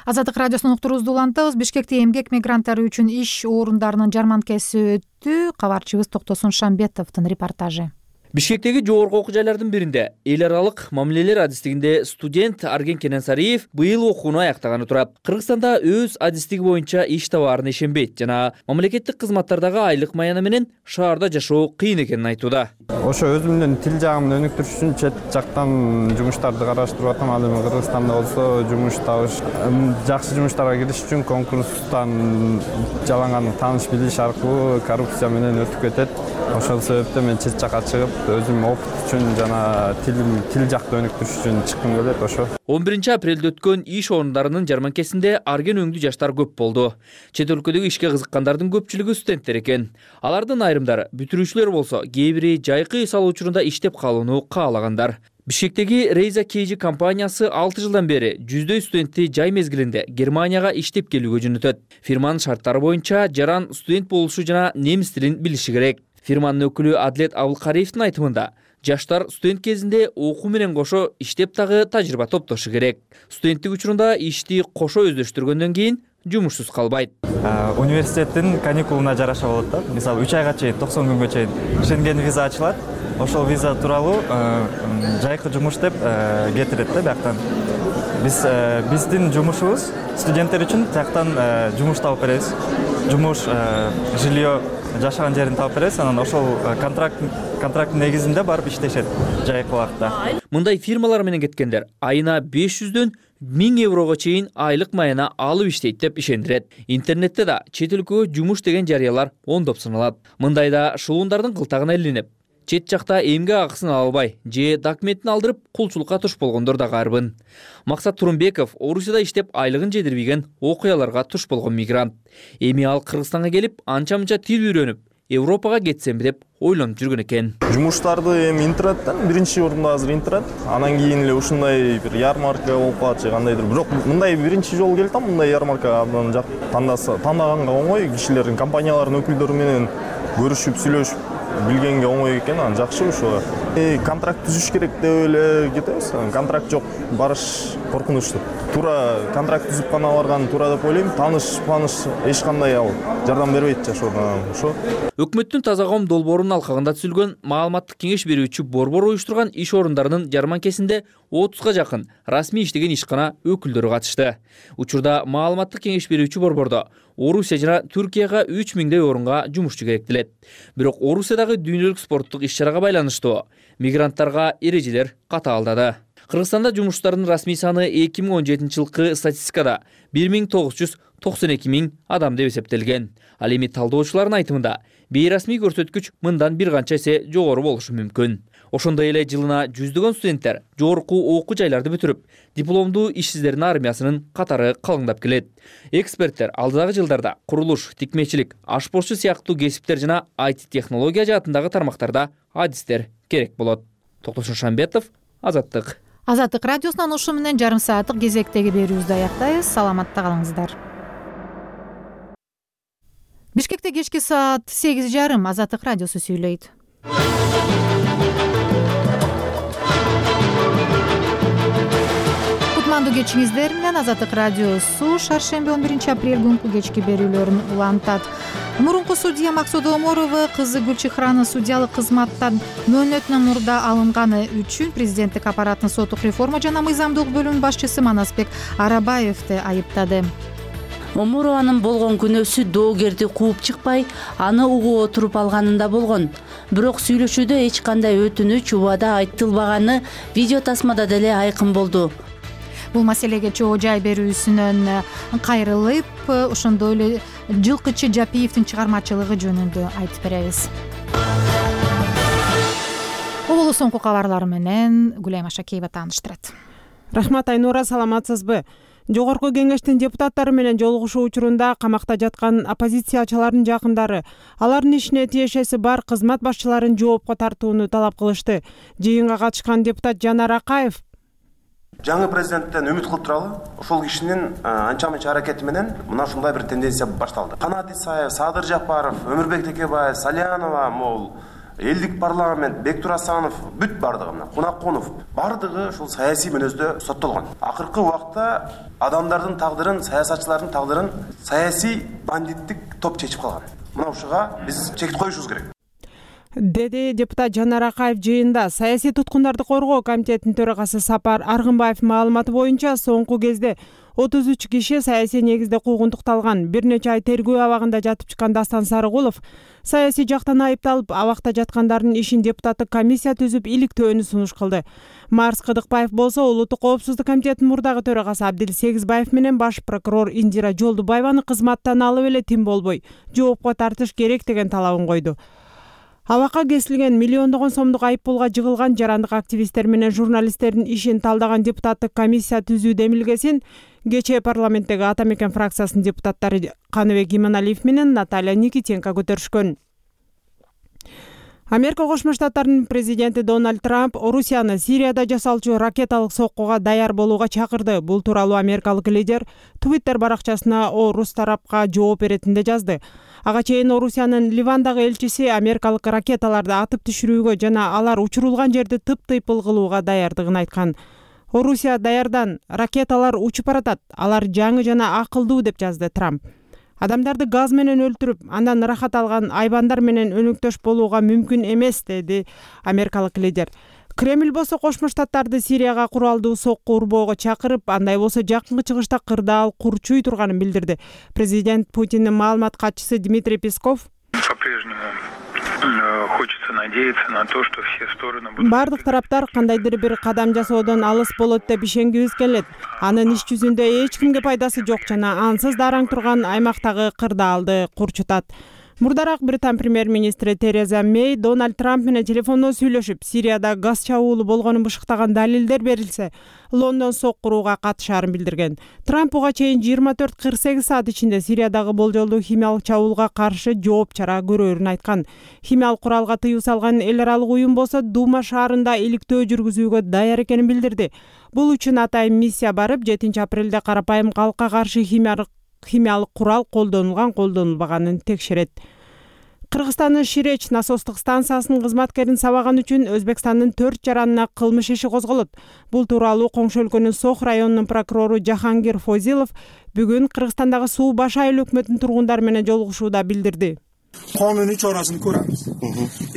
Азаттык радиосунун уктуруусун улантабыз. Бишкекте эмгек мигранттары үчүн иш орундарынын жарманкасы өттү. Кабарчыбыз Токтосун Шамбетовдун репортажы. Бишкектеги жогорку окуу жайлардын биринде эл аралык мамилелер адистигинде студент Арген Кененсариев быйыл окууну аяктаганы турат. Кыргызстанда өз адистиги боюнча иш табаарына ишенбейт жана мамлекеттик кызматтардагы айлык маяны менен шаарда жашоо кыйын экенин айтууда. Ошо өзүмдүн тил жагымды өнүктүрүш үчүн чет жактан жумуштарды караштырып атам. Ал эми Кыргызстанда болсо жумуш табыш, жакшы жумуштарга кириш үчүн конкурстан жаланган тааныш билиш аркылуу коррупция менен өтүп кетет. Ошол себептен мен чет жакка чыгып өзүм опыт үчүн жана тил тил жакты өнүктүрүш үчүн чыккым келет. Ошо он биринчи апрелде өткөн иш орундарынын жарманкесинде арген өңдүү жаштар көп болду. Чет өлкөдөгү ишке кызыккандардын көпчүлүгү студенттер экен. Алардын айрымдары бүтүрүүчүлөр болсо, кээ бири жайкы эс алуу учурунда иштеп калууну каалагандар. Бишкектеги Рейза Кейжи компаниясы алты жылдан бери жүздөй студентти жай мезгилинде Германияга иштеп келүүгө жөнөтөт. Фирманын шарттары боюнча жаран студент болушу жана немис тилин билиши керек. Фирманын өкүлү Адлет Абылкариевдин айтымында, жаштар студент кезинде окуу менен кошо иштеп дагы тажрыйба топтошу керек. Студенттик учурунда ишти кошо өздөштүргөндөн кийин жумушсуз калбайт. Университеттин каникулуна жараша болот да. Мисалы үч айга чейин, токсон күнгө чейин Шенген виза ачылат. Ошол виза тууралуу жайкы жумуш деп кетирет да бияктан. Биз биздин жумушубуз студенттер үчүн тияктан жумуш табып беребиз. Жумуш, жилье, жашаган жерин таап беребиз. Анан ошол контракт контракттын негизинде барып иштешет жайкы убакытта. Мындай фирмалар менен кеткендер айына беш жүздөн миң еврого чейин айлык маяна алып иштейт деп ишендирет. Интернетте да чет өлкөгө жумуш деген жарыялар ондоп саналат. Мындайда шылуундардын кылтагына илинип, чет жакта эмгек акысын ала албай же документин алдырып кулчулукка туш болгондор да карбын. Максат Турунбеков Орусияда иштеп айлыгын жетирбеген окуяларга туш болгон мигрант. Эми ал Кыргызстанга келип, анча-мынча тил үйрөнүп, Европага кетсемби деп ойлонуп жүргөн экен. Жумуштарды эми интернеттен биринчи орунда азыр интернет, анан кийин эле ушундай бир ярмарка болуп калат же кандайдыр. Бирок мындай биринчи жолу келип атам, мындай ярмарка абдан жак тандаса, тандаганга оңой, кишилердин, компаниялардын өкүлдөрү менен көрүшүп, сүйлөшүп билгенге оңой экен, анан жакшы ушуга. Э, контракт түзүш керек деп эле кетебиз. Контракт жок, барыш коркунучтуу. Туура контракт түзүп гана барган туура деп ойлойм. Таныш, таныш эч кандай ал жардам бербейт жашоодон. Ошо. Өкмөттүн таза коом долбоорунун алкагында түзүлгөн маалыматтык кеңеш берүүчү борбор уюштурган иш орундарынын жарманкесинде отузга жакын расмий иштеген ишкана өкүлдөрү катышты. Учурда маалыматтык кеңеш берүүчү борбордо Орусия жана Түркияга үч миңдей орунга жумушчу керектелет. Бирок Орусиядагы дүйнөлүк спорттук иш-чарага байланыштуу мигранттарга эрежелер катаалдады. Кыргызстанда жумуштардын расмий саны эки миң он жетинчи жылкы статистикада бир миң тогуз жүз токсон эки миң адам деп эсептелген. Ал эми талдоочулардын айтымында бейрасмий көрсөткүч мындан бир канча эсе жогору болушу мүмкүн. Ошондой эле жылына жүздөгөн студенттер жогорку окуу жайларды бүтүрүп, дипломдуу ишсиздердин армиясынын катары калыңдап келет. Эксперттер алдыдагы жылдарда курулуш, тикмечилик, ашпозчу сыяктуу кесиптер жана ай ти технология жаатындагы тармактарда адистер керек болот. Токтосун Шамбетов, Азаттык. Азаттык радиосунан ушу менен жарым сааттык кезектеги берүүбүздү аяктайбыз. Саламатта калыңыздар. Бишкекте кечки саат сегиз жарым. Азаттык радиосу сүйлөйт. Кутмандуу кечиңиздер менен Азаттык радиосу шаршемби он биринчи апрель күнкү кечки берүүлөрүн улантат. Мурунку судья Максут Оморова кызы Гүлчихраны судьялык кызматтан мөөнөтүнөн мурда алынганы үчүн президенттик аппараттын соттук реформа жана мыйзамдуулук бөлүмүнүн башчысы Манасбек Арабаевди айыптады. Омурованын болгон күнөөсү доогерди кууп чыкпай, аны угуп отуруп алганында болгон. Бирок сүйлөшүүдө эч кандай өтүнүч, убада айтылбаганы видео тасмада деле айкын болду. Бул маселеге чоо жай берүүсүнөн кайрылып, ошондой эле Жылкычы Жапиевдин чыгармачылыгы жөнүндө айтып беребиз. Бул соңку кабарлар менен Гүлайым Ашакеева тааныштырат. Рахмат Айнура, саламатсызбы? Жогорку кеңештин депутаттары менен жолугушуу учурунда камакта жаткан оппозициячылардын жакындары алардын ишине тиешеси бар кызмат башчыларын жоопко тартууну талап кылышты. Жыйынга катышкан депутат Жанар Акаев жаңы президенттен үмүт кылып туралы, ошол кишинин анча мынча аракети менен мына ушундай бир тенденция башталды. Канат Исаев, Садыр Жапаров, Өмүрбек Текебаев, Салянова, могул элдик парламент, Бектур Асанов, бүт бардыгы мына Кунакунов, бардыгы ушул саясий мүнөздө соттолгон. Акыркы убакта адамдардын тагдырын, саясатчылардын тагдырын саясий бандиттик топ чечип калган. Мына ушуга биз чек коюшубуз керек, деди депутат Жанар Акаев жыйында. Саясий туткундарды коргоо комитетинин төрагасы Сапар Аргынбаев маалыматы боюнча соңку кезде отуз үч киши саясий негизде куугунтукталган. Бир нече ай тергөө абагында жатып чыккан Дастан Сарыгулов саясий жактан айыпталып, абакта жаткандардын ишин депутаттык комиссия түзүп иликтөөнү сунуш кылды. Марс Кыдыкбаев болсо Улуттук коопсуздук комитетинин мурдагы төрагасы Абдил Сегизбаев менен баш прокурор Индира Жолдубаеваны кызматтан алып эле тим болбой жоопко тартыш керек деген талабын койду. Абакка кесилген миллиондогон сомдук айыппулга жыгылган жарандык активисттер менен журналисттердин ишин талдаган депутаттык комиссия түзүү демилгесин кечээ парламенттеги Ата Мекен фракциясынын депутаттары Каныбек Иманалиев менен Наталья Никитенко көтөрүшкөн. Америка Кошмо Штаттарынын президенти Дональд Трамп Орусияны Сирияда жасалчу ракеталык соккуга даяр болууга чакырды. Бул тууралуу америкалык лидер Твиттер баракчасына Орус тарапка жооп беретинде жазды. Ага чейин Орусиянын Ливандагы элчиси америкалык ракеталарды атып түшүрүүгө жана алар учурулган жерди тып-тыйпыл кылууга даярдыгын айткан. Орусия даярдан, ракеталар учуп баратат, алар жаңы жана акылдуу деп жазды Трамп. Адамдарды газ менен өлтүрүп, андан ырахат алган айбандар менен өнөктөш болууга мүмкүн эмес, деди америкалык лидер. Кремль болсо Кошмо Штаттарды Сирияга куралдуу сокку урбоого чакырып, андай болсо жакынкы чыгышта кырдаал курчуй турганын билдирди. Президент Путиндин маалымат катчысы Дмитрий Песков бардык тараптар кандайдыр бир кадам жасоодон алыс болот деп ишенгибиз келет. Анын иш жүзүндө эч кимге пайдасы жок жана ансыз дараң турган аймактагы кырдаалды курчутат. Мурдараак Британ премьер-министри Тереза Мэй Дональд Трамп менен телефондо сүйлөшүп, Сирияда газ чабуулу болгонун бышыктаган далилдер берилсе, Лондон соккурууга катышаарын билдирген. Трамп буга чейин жыйырма төрт кырк сегиз саат ичинде Сириядагы болжолдуу химиялык чабуулга каршы жооп чара көрөөрүн айткан. Химиялык куралга тыюу салган эл аралык уюм болсо Дума шаарында иликтөө жүргүзүүгө даяр экенин билдирди. Бул үчүн атайын миссия барып, жетинчи апрелде карапайым калкка каршы химиялык химиялык курал колдонулган, колдонулбаганын текшерет. Кыргызстандын Ширеч насостук станциясынын кызматкерин сабаган үчүн Өзбекстандын төрт жаранына кылмыш иши козголот. Бул тууралуу коңшу өлкөнүн Сох районунун прокурору Жахангир Фозилов бүгүн Кыргызстандагы Суу Баш айыл өкмөтүнүн тургундары менен жолугушууда билдирди. Кануний чарасын көрөбүз.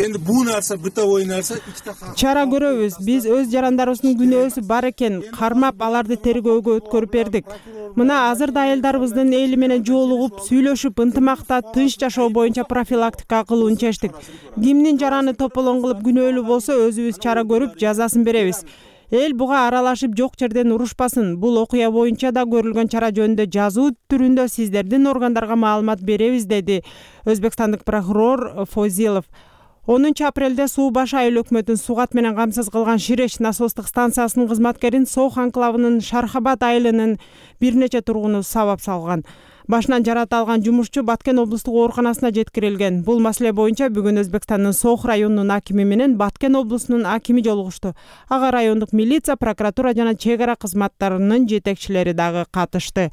Эndi бул нерсе бытовой нерсе ичте чара көрөбүз. Биз өз жарандарыбыздын күнөөсү бар экен, кармап аларды тергөөгө өткөрүп бердик. Мына азырда айылдарыбыздын эли менен жолугуп, сүйлөшүп, ынтымакта тынч жашоо боюнча профилактика кылууну чечтик. Кимдин жараны тополоң кылып күнөөлүү болсо, өзүбүз чара көрүп, жазасын беребиз. эл буга аралашып жок жерден урушпасын. Бул окуя боюнча да көрүлгөн чара жөнүндө жазуу түрүндө сиздердин органдарга маалымат беребиз, деди өзбекстандык прокурор Фозилов. онунчу апрелде Суу баш айыл өкмөтүн сугат менен камсыз кылган Ширеш насостук станциясынын кызматкерин Сох анклавынын Шархабад айылынын бир нече тургуну сабап салган. Башынан жарата алган жумушчу Баткен облустук ооруканасына жеткирилген. Бул маселе боюнча бүгүн Өзбекстандын Сох районунун акими менен Баткен облусунун акими жолугушту. Ага райондук милиция, прокуратура жана чек ара кызматтарынын жетекчилери дагы катышты.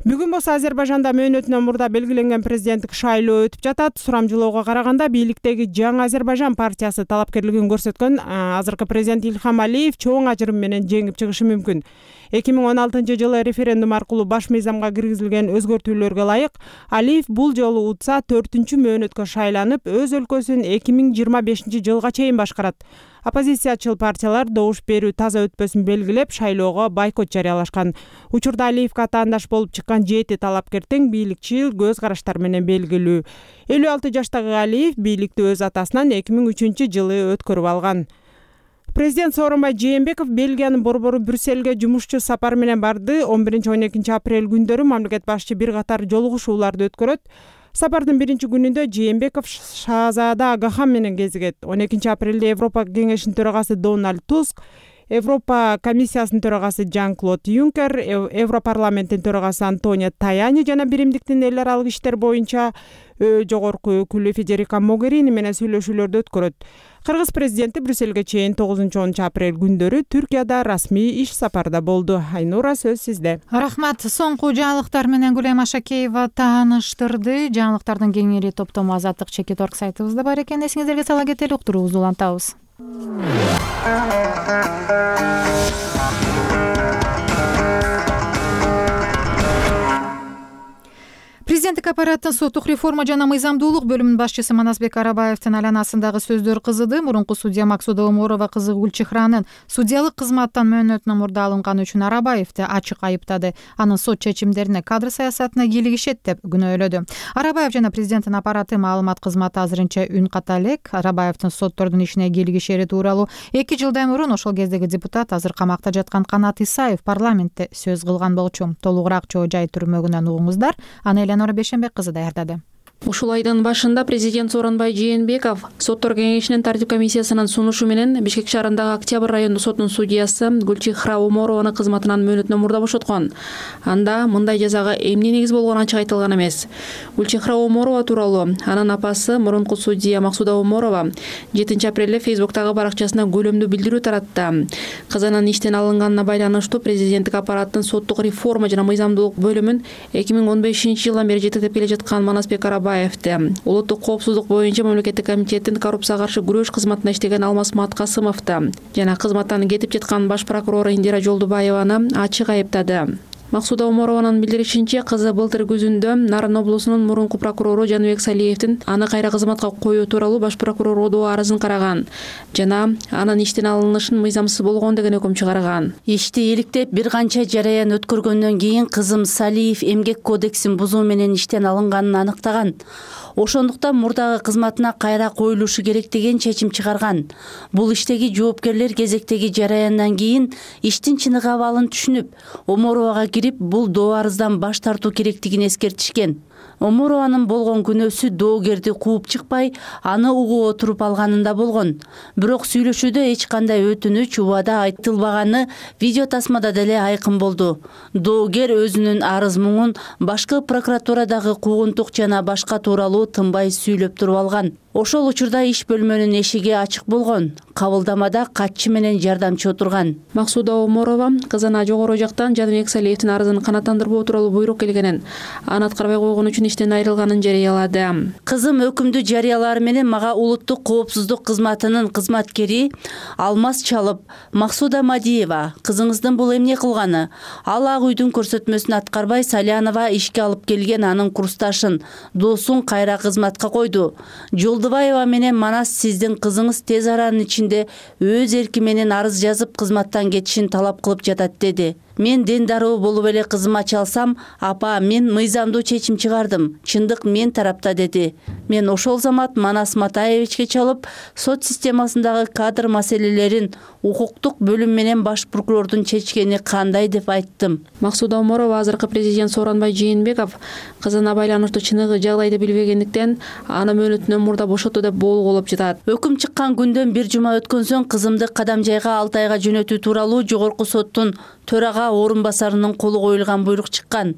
Бүгүн болсо Азербайжанда мөөнөтүнөн мурда белгиленген президенттик шайлоо өтүп жатат. Сурамжылоого караганда бийликтеги Жаңы Азербайжан партиясы талапкерлигин көрсөткөн азыркы президент Ильхам Алиев чоң ажырым менен жеңип чыгышы мүмкүн. эки миң он алтынчы жылы референдум аркылуу баш мыйзамга киргизилген өзгөртүүлөргө ылайык Алиев бул жолу утса төртүнчү мөөнөткө шайланып, өз өлкөсүн эки миң жыйырма бешинчи жылга чейин башкарат. Оппозициячыл партиялар добуш берүү таза өтпөсүн белгилеп, шайлоого бойкот жарыялашкан. Учурда Алиевге атаандаш болуп чыккан жети талапкер тең бийликчил көз караштар менен белгилүү. элүү алты жаштагы Алиев бийликти өз атасынан эки миң үчүнчү жылы өткөрүп алган. Президент Сооронбай Жээнбеков Бельгиянын борбору Брюссельге жумушчу сапар менен барды. он биринчи он экинчи апрель күндөрү мамлекет башчы бир катар жолугушууларды өткөрөт. Сапардын биринчи күнүндө Жээнбеков Шаазада Агахан менен кезигет. он экинчи апрелде Европа кеңешинин төрагасы Дональд Туск, Европа комиссиясынын төрагасы Жан-Клод Юнкер, Европарламенттин төрагасы Антонио Таяни жана биримдиктин эл аралык иштер боюнча жогорку өкүлү Федерика Могерини менен сүйлөшүүлөрдү өткөрөт. Кыргыз президенти Брюссельге чейин тогузунчу онунчу апрель күндөрү Түркияда расмий иш сапарда болду. Айнура, сөз сизде. Рахмат. Соңку жаңылыктар менен Гүлем Ашакеева тааныштырды. Жаңылыктардын кеңири топтому Азаттык чекит орг сайтыбызда бар экен. Эсиңиздерге сала кетели, уктуруубузду улантабыз. Президенттик аппараттын соттук реформа жана мыйзамдуулук бөлүмүнүн башчысы Манасбек Арабаевдин айланасындагы сөздөр кызыды. Мурунку судья Максуда Оморова кызы Гүлчехранын судьялык кызматтан мөөнөтүнөн мурда алынганы үчүн Арабаевди ачык айыптады. Анын сот чечимдерине кадр саясатына кийлигишет деп күнөөлөдү. Арабаев жана президенттин аппараты маалымат кызматы азырынча үн ката элек. Арабаевдин соттордун ишине кийлигишери тууралуу эки жылдан мурун ошол кездеги депутат, азыр камакта жаткан Канат Исаев парламентте сөз кылган болчу. Толугураак Чоо Жай түрмөгүнөн угуңуздар. Аны Эленора Бешенбек кызы даярдады. Ушул айдын башында президент Сооронбай Жээнбеков соттор кеңешинин тартип комиссиясынын сунушу менен Бишкек шаарындагы Октябрь райондук сотунун судьясы Гүлчехра Оморованы кызматынан мөөнөтүнөн мурда бошоткон. Анда мындай жазага эмне негиз болгону ачык айтылган эмес. Гүлчехра Оморова тууралуу анын апасы мурунку судья Максуда Оморова жетинчи апрелде Фейсбуктагы баракчасына көлөмдүү билдирүү таратты. Кызынын иштен алынганына байланыштуу президенттик аппараттын соттук реформа жана мыйзамдуулук бөлүмүн эки миң он бешинчи жылдан бери жетектеп келе жаткан Манасбек Арабаевди, улуттук коопсуздук боюнча мамлекеттик комитеттин коррупцияга каршы күрөш кызматында иштеген Алмаз Маткасымовду жана кызматтан кетип жаткан баш прокурор Индира Жолдубаеваны ачык айыптады. Максуда Оморованын билдиришинче, кызы былтыр күзүндө Нарын облусунун мурунку прокурору Жаныбек Салиевдин аны кайра кызматка коюу тууралуу баш прокурордуу арызын караган жана анын иштен алынышын мыйзамсыз болгон деген өкүм чыгарган. Ишти иликтеп бир канча жараян өткөргөндөн кийин кызым Салиев эмгек кодексин бузуу менен иштен алынганын аныктаган. Ошондуктан мурдагы кызматына кайра коюлушу керек деген чечим чыгарган. Бул иштеги жоопкерлер кезектеги жараяндан кийин иштин чыныгы абалын түшүнүп, Оморовага кирип бул доо арыздан баш тартуу керектигин эскертишкен. Оморованын болгон күнөөсү доогерди кууп чыкпай, аны угуп отуруп алганында болгон. Бирок сүйлөшүүдө эч кандай өтүнүч, убада айтылбаганы видео тасмада деле айкын болду. Доогер өзүнүн арыз муңун башкы прокуратурадагы куугунтук жана башка тууралуу тынбай сүйлөп туруп алган. Ошол учурда иш бөлмөнүн эшиги ачык болгон. Кабылдамада катчы менен жардамчы отурган. Максуда Оморова кызына жогору жактан Жаныбек Салиевдин арызын канааттандырбоо тууралуу буйрук келгенин, аны аткарбай койгон үчүн иштен айрылганын жарыялады. Кызым өкүмдү жарыялары менен мага улуттук коопсуздук кызматынын кызматкери Алмаз чалып, Максуда Мадиева, кызыңыздын бул эмне кылганы? Ал ак үйдүн көрсөтмөсүн аткарбай Салянова ишке алып келген анын курсташын, досун кайра кызматка койду. Жолдубаева менен Манас сиздин кызыңыз тез аранын ичинде өз эрки менен арыз жазып кызматтан кетишин талап кылып жатат, деди. Мен дендаруу болуп эле кызыма чалсам, апа, мен мыйзамдуу чечим чыгардым. Чындык мен тарапта деди. Мен ошол замат Манас Матаевичке чалып, сот системасындагы кадр маселелерин укуктук бөлүм менен баш прокурордун чечкени кандай деп айттым. Максуда Оморова азыркы президент Сооронбай Жээнбеков кызына байланыштуу чыныгы жагдайды билбегендиктен аны мөөнөтүнөн мурда бошотуу деп болгуулоп жатат. Өкүм чыккан күндөн бир жума өткөн соң кызымды кадам жайга алты айга жөнөтүү тууралуу жогорку соттун төрага орун басарынын колу коюлган буйрук чыккан.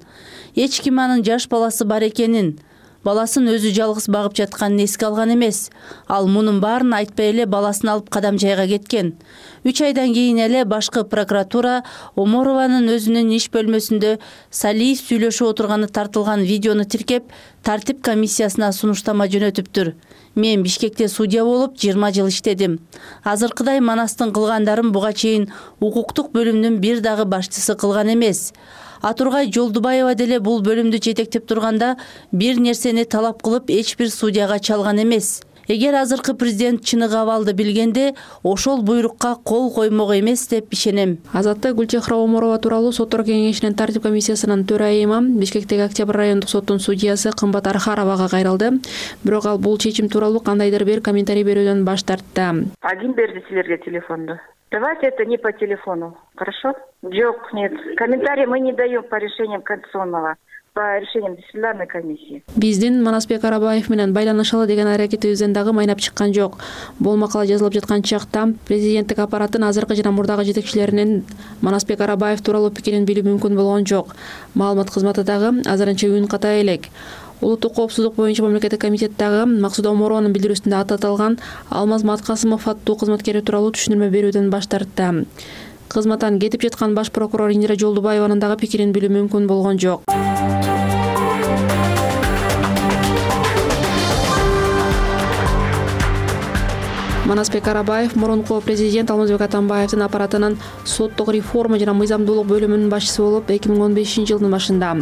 Эч ким анын жаш баласы бар экенин, баласын өзү жалгыз багып жатканын эске алган эмес. Ал мунун баарын айтпай эле баласын алып кадам жайга кеткен. үч айдан кийин эле башкы прокуратура Оморованын өзүнүн иш бөлмөсүндө Салиев сүйлөшүп отурганы тартылган видеону тиркеп, тартип комиссиясына сунуштама жөнөтүптүр. Мен Бишкекте судья болуп жыйырма жыл иштедим. Азыркыдай Манастын кылгандарын буга чейин укуктук бөлүмдүн бир дагы башчысы кылган эмес. Атургай Жолдубаева деле бул бөлүмдү жетектеп турганда бир нерсени талап кылып эч бир судьяга чалган эмес. Эгер азыркы президент чыныгы абалды билгенде, ошол буйрукка кол коймок эмес деп ишенем. Азатты Гүлчехра Оморова тууралуу соттор кеңешинин тартип комиссиясынын төрайымы Бишкектеги Октябрь райондук соттун судьясы Кымбат Архаровага кайрылды. Бирок ал бул чечим тууралуу кандайдыр бир комментарий берүүдөн баш тартты. А ким берди силерге телефонду? Давайте это не по телефону, хорошо? Жок, нет. Комментарии мы не даем по решениям Конституционного, по решениям дисциплинарной комиссии. Биздин Манасбек Арабаев менен байланышалы деген аракетибизден дагы майнап чыккан жок. Бул макала жазылып жаткан чакта президенттик аппараттын азыркы жана мурдагы жетекчилеринин Манасбек Арабаев тууралуу пикирин билүү мүмкүн болгон жок. Маалымат кызматы дагы азырынча үн ката элек. Улуттук коопсуздук боюнча мамлекеттик комитеттагы Максуда Оморованын билдирүүсүндө ататылган Алмаз Маткасымов аттуу кызматкери тууралуу түшүнүрмө берүүдөн баш тартты. Кызматтан кетип жаткан баш прокурор Индира Жолдубаеванын дагы пикирин билүү мүмкүн болгон жок. Манасбек Арабаев мурунку президент Алмазбек Атамбаевдин аппаратынын соттук реформа жана мыйзамдуулук бөлүмүнүн башчысы болуп эки миң он бешинчи жылдын башында.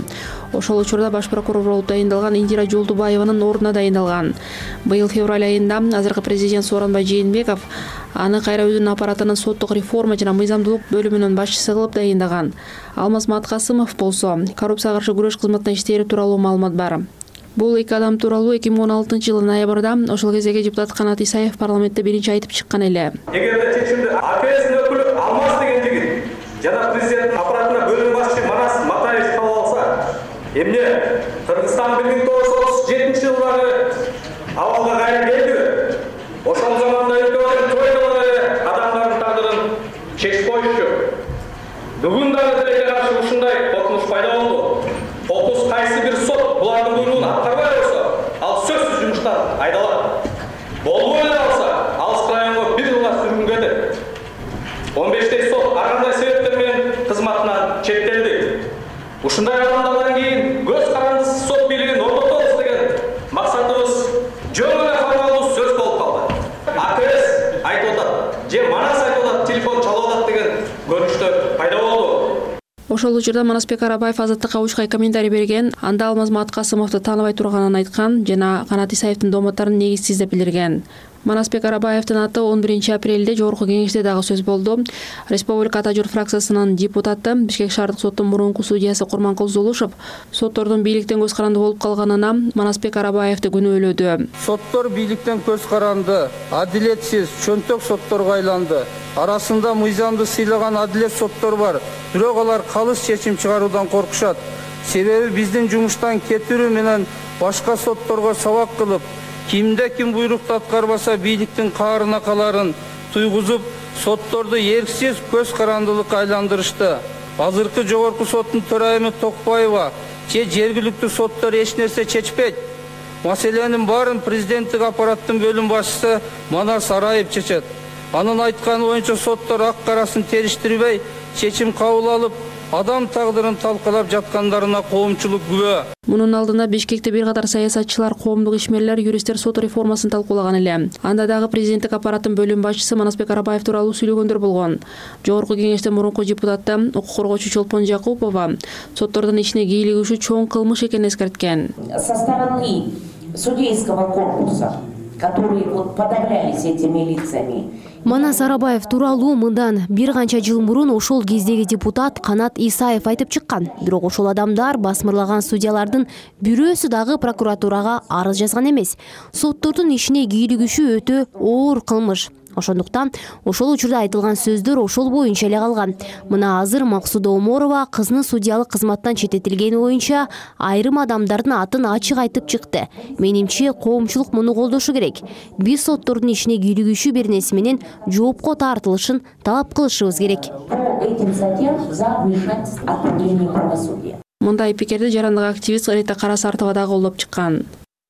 Ошол учурда баш прокурор болуп дайындалган Индира Жолдубаеванын ордуна дайындалган. Быйыл февраль айында азыркы президент Сооронбай Жээнбеков аны кайра өзүнүн аппаратынын соттук реформа жана мыйзамдуулук бөлүмүнүн башчысы кылып дайындаган. Алмаз Маткасымов болсо коррупцияга каршы күрөш кызматына иштери тууралуу маалымат бар. Бул эки адам тууралуу эки миң он алтынчы жылы ноябрда ошол кездеги депутат Канат Исаев парламентте биринчи айтып чыккан эле. Эгерде чечимди АКСдин өкүлү Алмаз деген жигит жана президенттин аппаратына бөлүм башчы Манас Матаевич кабыл алса, эмне Кыргызстан бир миң тогуз жүз отуз жетинчи жылдары абалга кайра келди. Ошол заманда өлкөдөгү тойдолор адамдардын тагдырын чечип коюшчу. Бүгүн дагы тилекке каршы ушундай коркунуч пайда болду. Окус кайсы бир сот булардын буйругун аткарбай койсо, ал сөзсүз жумуштан айдалат. Болбой эле алса, алыс районго бир жылга сүргүнгө кетет. он бештей сот ар кандай себептер менен кызматынан четтелди. Ушундай адамдардан кийин көз карандысыз сот бийлигин орнотобуз деген максатыбыз жөн эле формалдуу сөз болуп калды. АКС айтып атат, же Манас айтып атат, телефон чалып атат деген көрүнүштөр пайда болду. Ошол учурда Манасбек Арабаев Азаттыкка учкай комментарий берген, анда Алмаз Маткасымовду тааныбай турганын айткан жана Канат Исаевдин дооматтарын негизсиз деп билдирген. Манасбек Арабаевдин аты он биринчи апрелде жогорку кеңеште дагы сөз болду. Республика Ата журт фракциясынын депутаты Бишкек шаардык соттун мурунку судьясы Курманкул Зулушев соттордун бийликтен көз каранды болуп калганына Манасбек Арабаевди күнөөлөдү. Соттор бийликтен көз каранды, адилетсиз, чөнтөк сотторго айланды. Арасында мыйзамды сыйлаган адилет соттор бар, бирок алар калыс чечим чыгаруудан коркушат. Себеби биздин жумуштан кетирүү менен башка сотторго сабак кылып, кимде ким буйрукту аткарбаса бийликтин каарына каларын туйгузуп, сотторду эрксиз көз карандылыкка айландырышты. Азыркы жогорку соттун төрайымы Токпаева же жергиликтүү соттор эч нерсе чечпейт. Маселенин баарын президенттик аппараттын бөлүм башчысы Манас Араев чечет. Анын айтканы боюнча соттор ак карасын териштирбей чечим кабыл алып, адам тагдырын талкалап жаткандарына коомчулук күбө. Мунун алдында Бишкекте бир катар саясатчылар, коомдук ишмерлер, юристтер сот реформасын талкуулаган эле. Анда дагы президенттик аппараттын бөлүм башчысы Манасбек Арабаев тууралуу сүйлөгөндөр болгон. Жогорку кеңеште мурунку депутаты укук коргоочу Чолпон Жакупова соттордун ичине кийлигишүү чоң кылмыш экенин эскерткен. Со стороны судейского корпуса которые вот подавлялись этими лицами. Манас Арабаев тууралуу мындан бир канча жыл мурун ошол кездеги депутат Канат Исаев айтып чыккан. Бирок ошол адамдар басмырлаган судьялардын бирөөсү дагы прокуратурага арыз жазган эмес. Соттордун ишине кийлигишүү өтө оор кылмыш. Ошондуктан ошол учурда айтылган сөздөр ошол боюнча эле калган. Мына азыр Максуда Оморова кызынын судьялык кызматтан четтетилгени боюнча айрым адамдардын атын ачык айтып чыкты. Менимче коомчулук муну колдошу керек. Биз соттордун ишине кийлигишүү беренеси менен жоопко тартылышын талап кылышыбыз керек. Мындай пикирди жарандык активист Рита Карасартова да колдоп чыккан.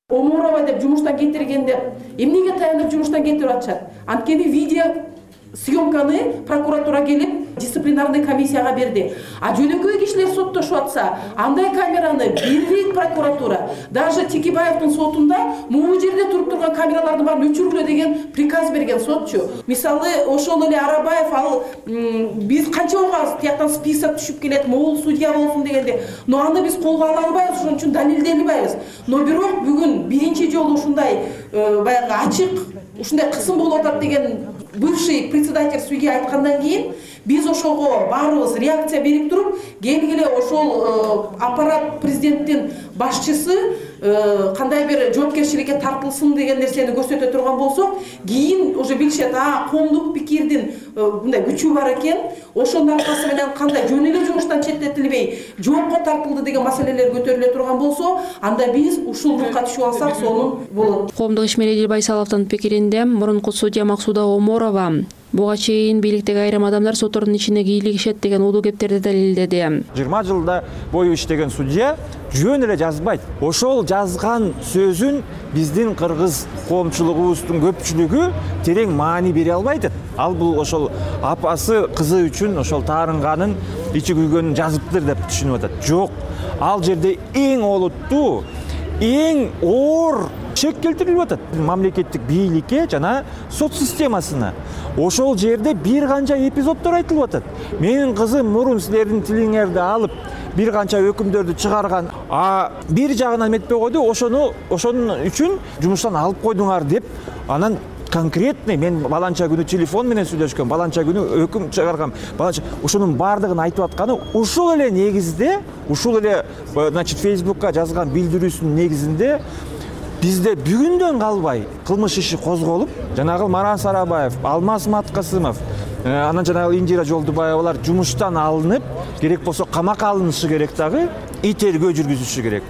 Оморова деп жумуштан кетиргенде эмнеге таянып жумуштан кетирип атышат? Анткени видео съемканы прокуратура келип дисциплинарный комиссияга берди. А жөнөкөй кишилер соттошуп атса, андай камераны бербейт прокуратура. Даже Текебаевдин сотунда могу жерде туруп турган камераларды баарын өчүргүлө деген приказ берген сотчу. Мисалы, ошол эле Арабаев ал биз канча угабыз тияктан список түшүп келет, могул судья болсун дегенде, но аны биз колго ала албайбыз, ошон үчүн далилдей албайбыз. Но бирок бүгүн биринчи жолу ушундай баягы ачык, ушундай кысым болуп атат деген бывший председатель судья айткандан кийин биз ошого баарыбыз реакция берип туруп, келгиле ошол аппарат президенттин башчысы кандай бир жоопкерчиликке тартылсын деген нерсени көрсөтө турган болсок, кийин уже билишет, а коомдук пикирдин мындай күчү бар экен, ошонун аркасы менен кандай жөн эле жумуштан четтетилбей жоопко тартылды деген маселелер көтөрүлө турган болсо, анда биз ушулдукка түшүп алсак сонун болот. Коомдук ишмер Эдил Байсаловдун пикиринде мурунку судья Максуда Оморова буга чейин бийликтеги айрым адамдар соттордун ичине кийлигишет деген улуу кептерди далилдеди. жыйырма жылда бою иштеген судья жөн эле жазбайт. Ошол жазган сөзүн биздин кыргыз коомчулугубуздун көпчүлүгү терең маани бере албайт. Ал бул ошол апасы кызы үчүн ошол таарынганын ичи күйгөнүн жазыптыр деп түшүнүп атат. Жок, ал жерде эң олуттуу, эң оор чек келтирилип атат мамлекеттик бийликке жана сот системасына. Ошол жерде бир канча эпизоддор айтылып атат. Менин кызым мурун силердин тилиңерди алып бир канча өкүмдөрдү чыгарган, а бир жагынан эметпей койду, ошону ошонун үчүн жумуштан алып койдуңар деп, анан конкретный мен баланча күнү телефон менен сүйлөшкөм, баланча күнү өкүм чыгаргам, баланча ошонун баардыгын айтып атканы ушул эле негизде, ушул эле значит Facebookка жазган билдирүүсүнүн негизинде бизде бүгүндөн калбай кылмыш иши козголуп, жанагы Манас Арабаев, Алмаз Маткасымов, анан жанагы Индира Жолдубаевалар жумуштан алынып, керек болсо камакка алынышы керек дагы, и тергөө жүргүзүшү керек.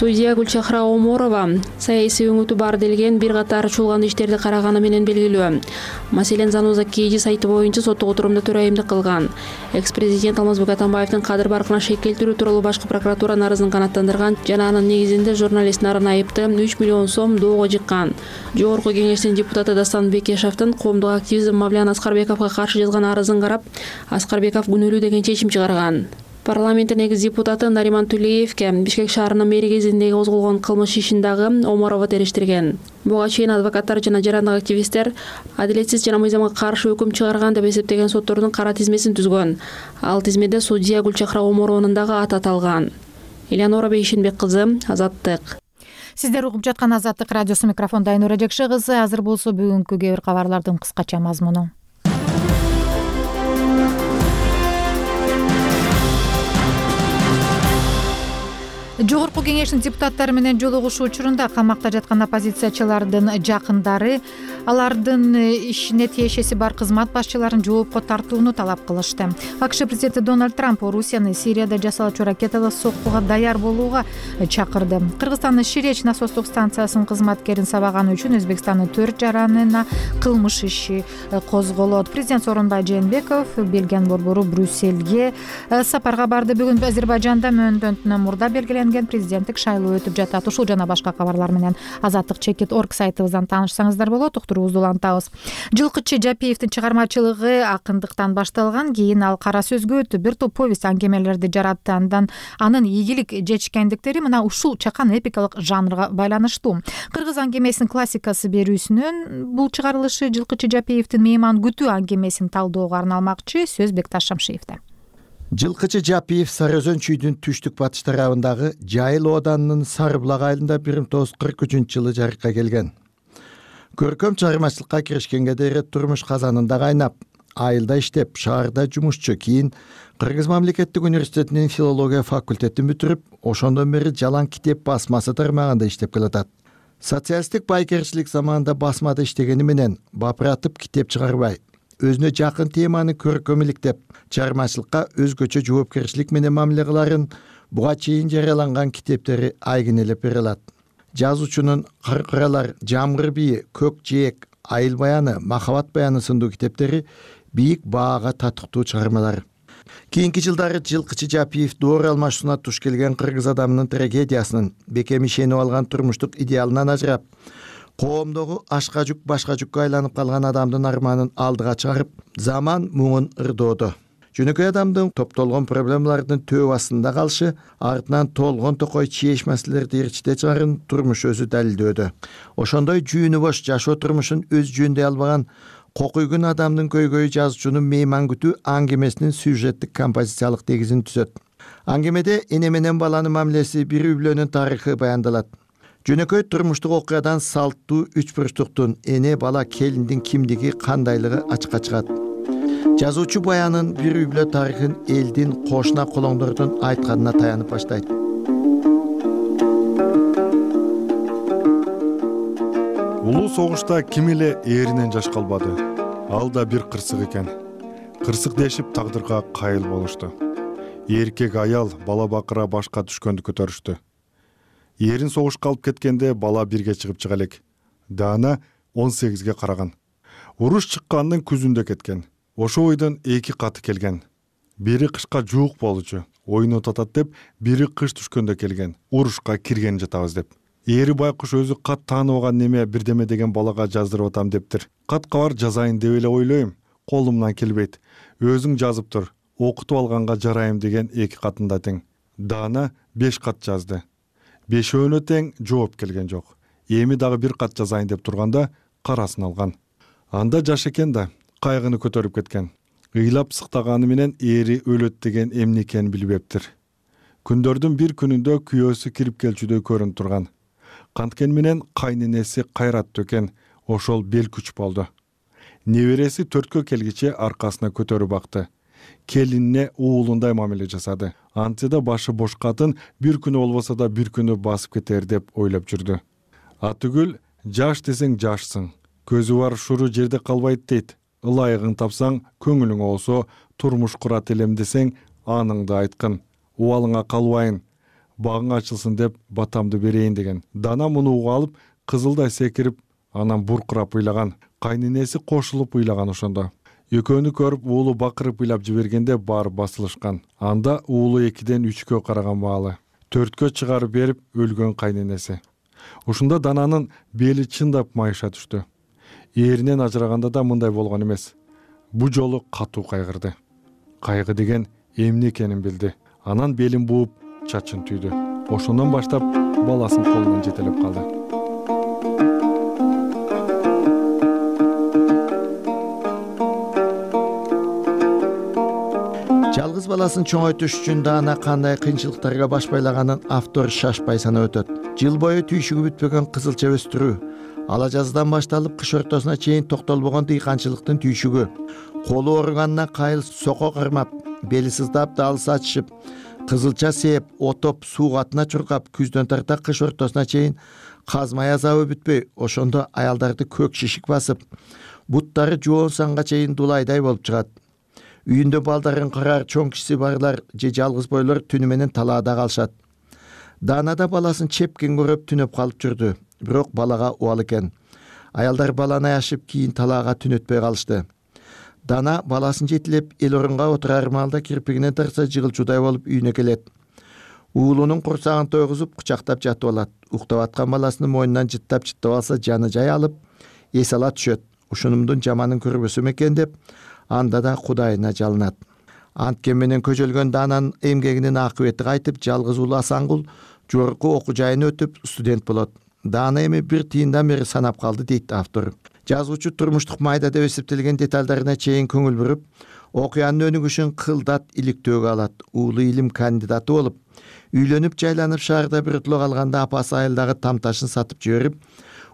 Судья Гүлчахра Оморова саясий өңүтү бар делген бир катар чуулган иштерди караганы менен белгилүү. Маселен, Зануза Кеди сайты боюнча соттук отурумда төрайымдык кылган. Экс-президент Алмазбек Атамбаевдин кадыр баркына шек келтирүү тууралуу башкы прокуратуранын арызын канааттандырган жана анын негизинде журналист Нарын Айыпты үч миллион сом доого жыккан. Жогорку кеңештин депутаты Дастан Бекешевдин коомдук активизм Мавлян Аскарбековго каршы жазган арызын карап, Аскарбеков күнөөлүү деген чечим чыгарган. Парламенттин экс депутаты Нариман Тулеевке Бишкек шаарынын мэри кезиндеги козголгон кылмыш ишин дагы Оморова териштирген. Буга чейин адвокаттар жана жарандык активисттер адилетсиз жана мыйзамга каршы өкүм чыгарган деп эсептеген соттордун кара тизмесин түзгөн. Ал тизмеде судья Гүлчахра Оморованын дагы аты аталган. Элеонора Бейшенбек кызы, Азаттык. Сиздер угуп жаткан Азаттык радиосу, микрофондо Айнура Жекши кызы. Азыр болсо бүгүнкү кээ бир кабарлардын кыскача мазмуну. Жогорку кеңештин депутаттары менен жолугушуу учурунда камакта жаткан оппозициячылардын жакындары алардын ишине тиешеси бар кызмат башчыларын жоопко тартууну талап кылышты. АКШ президенти Дональд Трамп Орусияны Сирияда жасалуучу ракеталык соккуга даяр болууга чакырды. Кыргызстандын Ширеч насостук станциясынын кызматкерин сабаганы үчүн Өзбекстандын төрт жаранына кылмыш иши козголот. Президент Сооронбай Жээнбеков Белгиянын борбору Брюссельге сапарга барды. Бүгүн Азербайжанда мөөнөтүнөн мурда белгиленген президенттик шайлоо өтүп жатат. Ушул жана башка кабарлар менен азаттык чекит точка орг сайтыбыздан таанышсаңыздар болот. Уктуруубузду улантабыз. Жылкычы Жапиевдин чыгармачылыгы акындыктан башталган, кийин ал кара сөзгө өтүп бир топ повесть аңгемелерди жаратты. Андан анын ийгилик жетишкендиктери мына ушул чакан эпикалык жанрга байланыштуу. Кыргыз аңгемесинин классикасы берүүсүнөн бул чыгарылышы Жылкычы Жапиевдин мейман күтүү аңгемесин талоого арналмакчы. Сөз Бекташ Шамшиевде. Жылкычы Жапиев Сары Өзөн чүйдүн түштүк батыш тарабындагы Жайыл ооданынын Сары булак айылында бир миң тогуз жүз кырк үчүнчү жылы жарыкка келген. Көркөм чыгармачылыкка киришкенге дейин турмуш казанында кайнап, айылда иштеп, шаарда жумушчу, кийин Кыргыз мамлекеттик университетинин филология факультетин бүтүрүп, ошондон бери Жалаң китеп басмасы тармагында иштеп келатат. Социалисттик байкерчилик заманында басмада иштегени менен бапыратып китеп чыгарбай, өзүнө жакын теманы көркөм иликтеп, чыгармачылыкка өзгөчө жоопкерчилик менен мамиле кыларын буга чейин жарыяланган китептери айгинелеп бере алат. Жазуучунун Кыркыралар, Жамгыр бийи, Көк жээк, Айыл баяны, Махабат баяны сындуу китептери бийик баага татыктуу чыгармалар. Кийинки жылдары Жылкычы Жапиев доор алмашууна туш келген кыргыз адамынын трагедиясынын, бекем ишенип алган турмуштук идеалынан ажырап, коомдогу ашка жүк башка жүккө айланып калган адамдын арманын алдыга чыгарып, заман муңун ырдоодо. Жөнөкөй адамдын топтолгон проблемалардын төө астында калышы, артынан толгон токой чееш маселелерди ээрчите чыгарын турмуш өзү далилдөөдө. Ошондой жүүнү бош жашоо турмушун өз жөндөй албаган кокуйгун адамдын көйгөйү жазуучунун мейман күтүү аңгемесинин сюжеттик композициялык негизин түзөт. Аңгемеде эне менен баланын мамилеси, бир үй бүлөнүн тарыхы баяндалат. Жөнөкөй турмуштук окуядан салттуу үч бурчтуктун, эне бала келиндин кимдиги кандайлыгы ачыкка чыгат. Жазуучу баянын бир үй бүлө тарыхын элдин, кошуна колоңдордун айтканына таянып баштайт. Улуу согушта ким эле ээринен жаш калбады. Ал да бир кырсык экен. Кырсык дешип тагдырга кайыл болушту. Эркек аял бала бакыра башка түшкөндү көтөрүштү. Эрин согушка алып кеткенде бала бирге чыгып чыга элек. Дана он сегизге караган. Уруш чыккандын күзүндө кеткен. Ошо ойдон эки каты келген. Бири кышка жуук болчу, ойнот атат деп, бири кыш түшкөндө келген. Урушка кирген жатабыз деп. Эри байкуш өзү кат тааныбаган неме бирдеме деген балага жаздырып атам дептир. Кат кабар жазайын деп эле ойлойм, колумдан келбейт. Өзүң жазып тур, окутуп алганга жарайым деген эки катында тең. Дана беш кат жазды. Бешөөнө тең жооп келген жок. Эми дагы бир кат жазайын деп турганда карасын алган. Анда жаш экен да, кайгыны көтөрүп кеткен. Ыйлап сыктаганы менен эри өлөт деген эмне экенин билбептир. Күндөрдүн бир күнүндө күйөөсү кирип келчүдөй көрүнүп турган. Канткени менен кайненеси кайраттуу экен, ошол бел күч болду. Небереси төрткө келгиче аркасына көтөрүп бакты. Келинине уулундай мамиле жасады. Антида башы бош катын бир күнү болбосо да бир күнү басып кетер деп ойлоп жүрдү. Атүгүл жаш десең жашсың. Көзү бар шуру жерде калбайт дейт. Ылайыгың тапсаң, көңүлүң болсо, турмуш курат элем десең, аныңды айткын. Убалыңа калбайын. Багың ачылсын деп батамды берейин деген. Дана муну угуп алып, кызылдай секирип, анан буркурап ыйлаган. Кайненеси кошулуп ыйлаган ошондо. Экөөнү көрүп уулу бакырып ыйлап жибергенде баары басылышкан. Анда уулу экиден үчкө караган маалы. Төрткө чыгарып берип өлгөн кайненеси. Ушунда Дананын бели чындап майыша түштү. Эринен ажыраганда да мындай болгон эмес. Бу жолу катуу кайгырды. Кайгы деген эмне экенин билди. Анан белин бууп, чачын түйдү. Ошондон баштап баласын колунан жетелеп калды. Жалгыз баласын чоңойтуш үчүн Дана кандай кыйынчылыктарга баш байлаганын автор шашпай санап өтөт. Жыл бою түйшүгү бүтпөгөн кызылча өстүрүү, ала жаздан башталып кыш ортосуна чейин токтолбогон дыйканчылыктын түйшүгү, колу ооруганына кайыл сoko кырмап, бели сыздап, далысы ачышып, кызылча сээп, отоп, суу катына чуркап, күздөн тарта кыш ортосуна чейин казмай азабы бүтпөй, ошондо аялдарды көк шишик басып, буттары жоон санга чейин дулайдай болуп чыгат. Үйүндө балдарын карар чоң кишиси барлар же жалгыз бойлор түнү менен талаада калышат. Дана да баласын чепкен көрүп түнөп калып жүрдү, бирок балага убал экен. Аялдар баланы аяшып кийин талаага түнөтпөй калышты. Дана баласын жетилеп эл орунга отурар маалда кирпигинен тарса жыгылчуудай болуп үйүнө келет. Уулунун курсагын тойгузуп кучактап жатып алат. Уктап аткан баласынын мойнунан жыттап жыттап алса жаны жай алып, эс ала түшөт. Ушунумдун жаманын көрбөсөм экен деп, анда да Кудайына жалынат. Анткен менен көжөлгөн Дананын эмгегинин акыбети кайтып, жалгыз уулу Асангул жогорку окуу жайын өтүп студент болот. Дана эми бир тыйындан бери санап калды дейт автор. Жазуучу турмуштук майда деп эсептелген деталдарына чейин көңүл буруп, окуянын өнүгүшүн кылдат иликтөөгө алат. Уулу илим кандидаты болуп, үйлөнүп жайланып шаарда биротоло калганда апасы айылдагы тамташын сатып жиберип,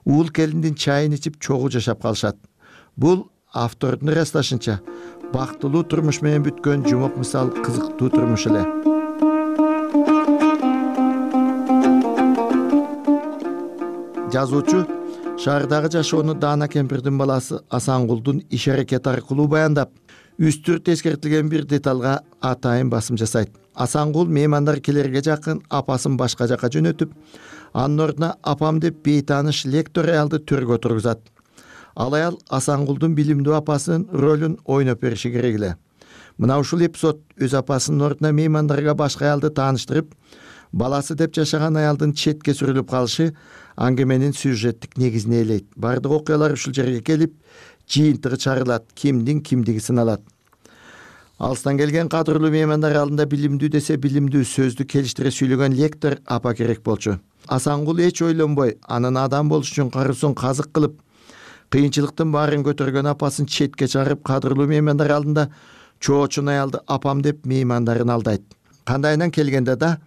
уул келиндин чайын ичип чогуу жашап калышат. Бул автордун ырасташынча бактылуу турмуш менен бүткөн жумок мисал кызыктуу турмуш эле. Жазуучу шаардагы жашоону Даана кемпирдин баласы Асангулдун иш аракети аркылуу баяндап, үстүрт эскертилген бир деталга атайын басым жасайт. Асангул меймандар келерге жакын апасын башка жакка жөнөтүп, анын ордуна апам деп бейтааныш лектор аялды төргө отургузат. Ал аял Асангулдун билимдүү апасынын ролун ойноп бериши керек эле. Мына ушул эпизод өз апасынын ордуна меймандарга башка аялды тааныштырып, баласы деп жашаган аялдын четке сүрүлүп калышы аңгеменин сюжеттик негизин ээлейт. Бардык окуялар ушул жерге келип, жыйынтыгы чыгарылат, кимдин кимдиги сыналат. Алыстан келген кадырлуу меймандар алдында билимдүү десе билимдүү сөздү келиштире сүйлөгөн лектор апа керек болчу. Асангул эч ойлонбой, анын адам болуш үчүн каруусун казык кылып, кыйынчылыктын баарын көтөргөн апасын четке чыгарып, кадырлуу меймандар алдында чоочун аялды апам деп меймандарын алдайт. Кандайынан келгенде да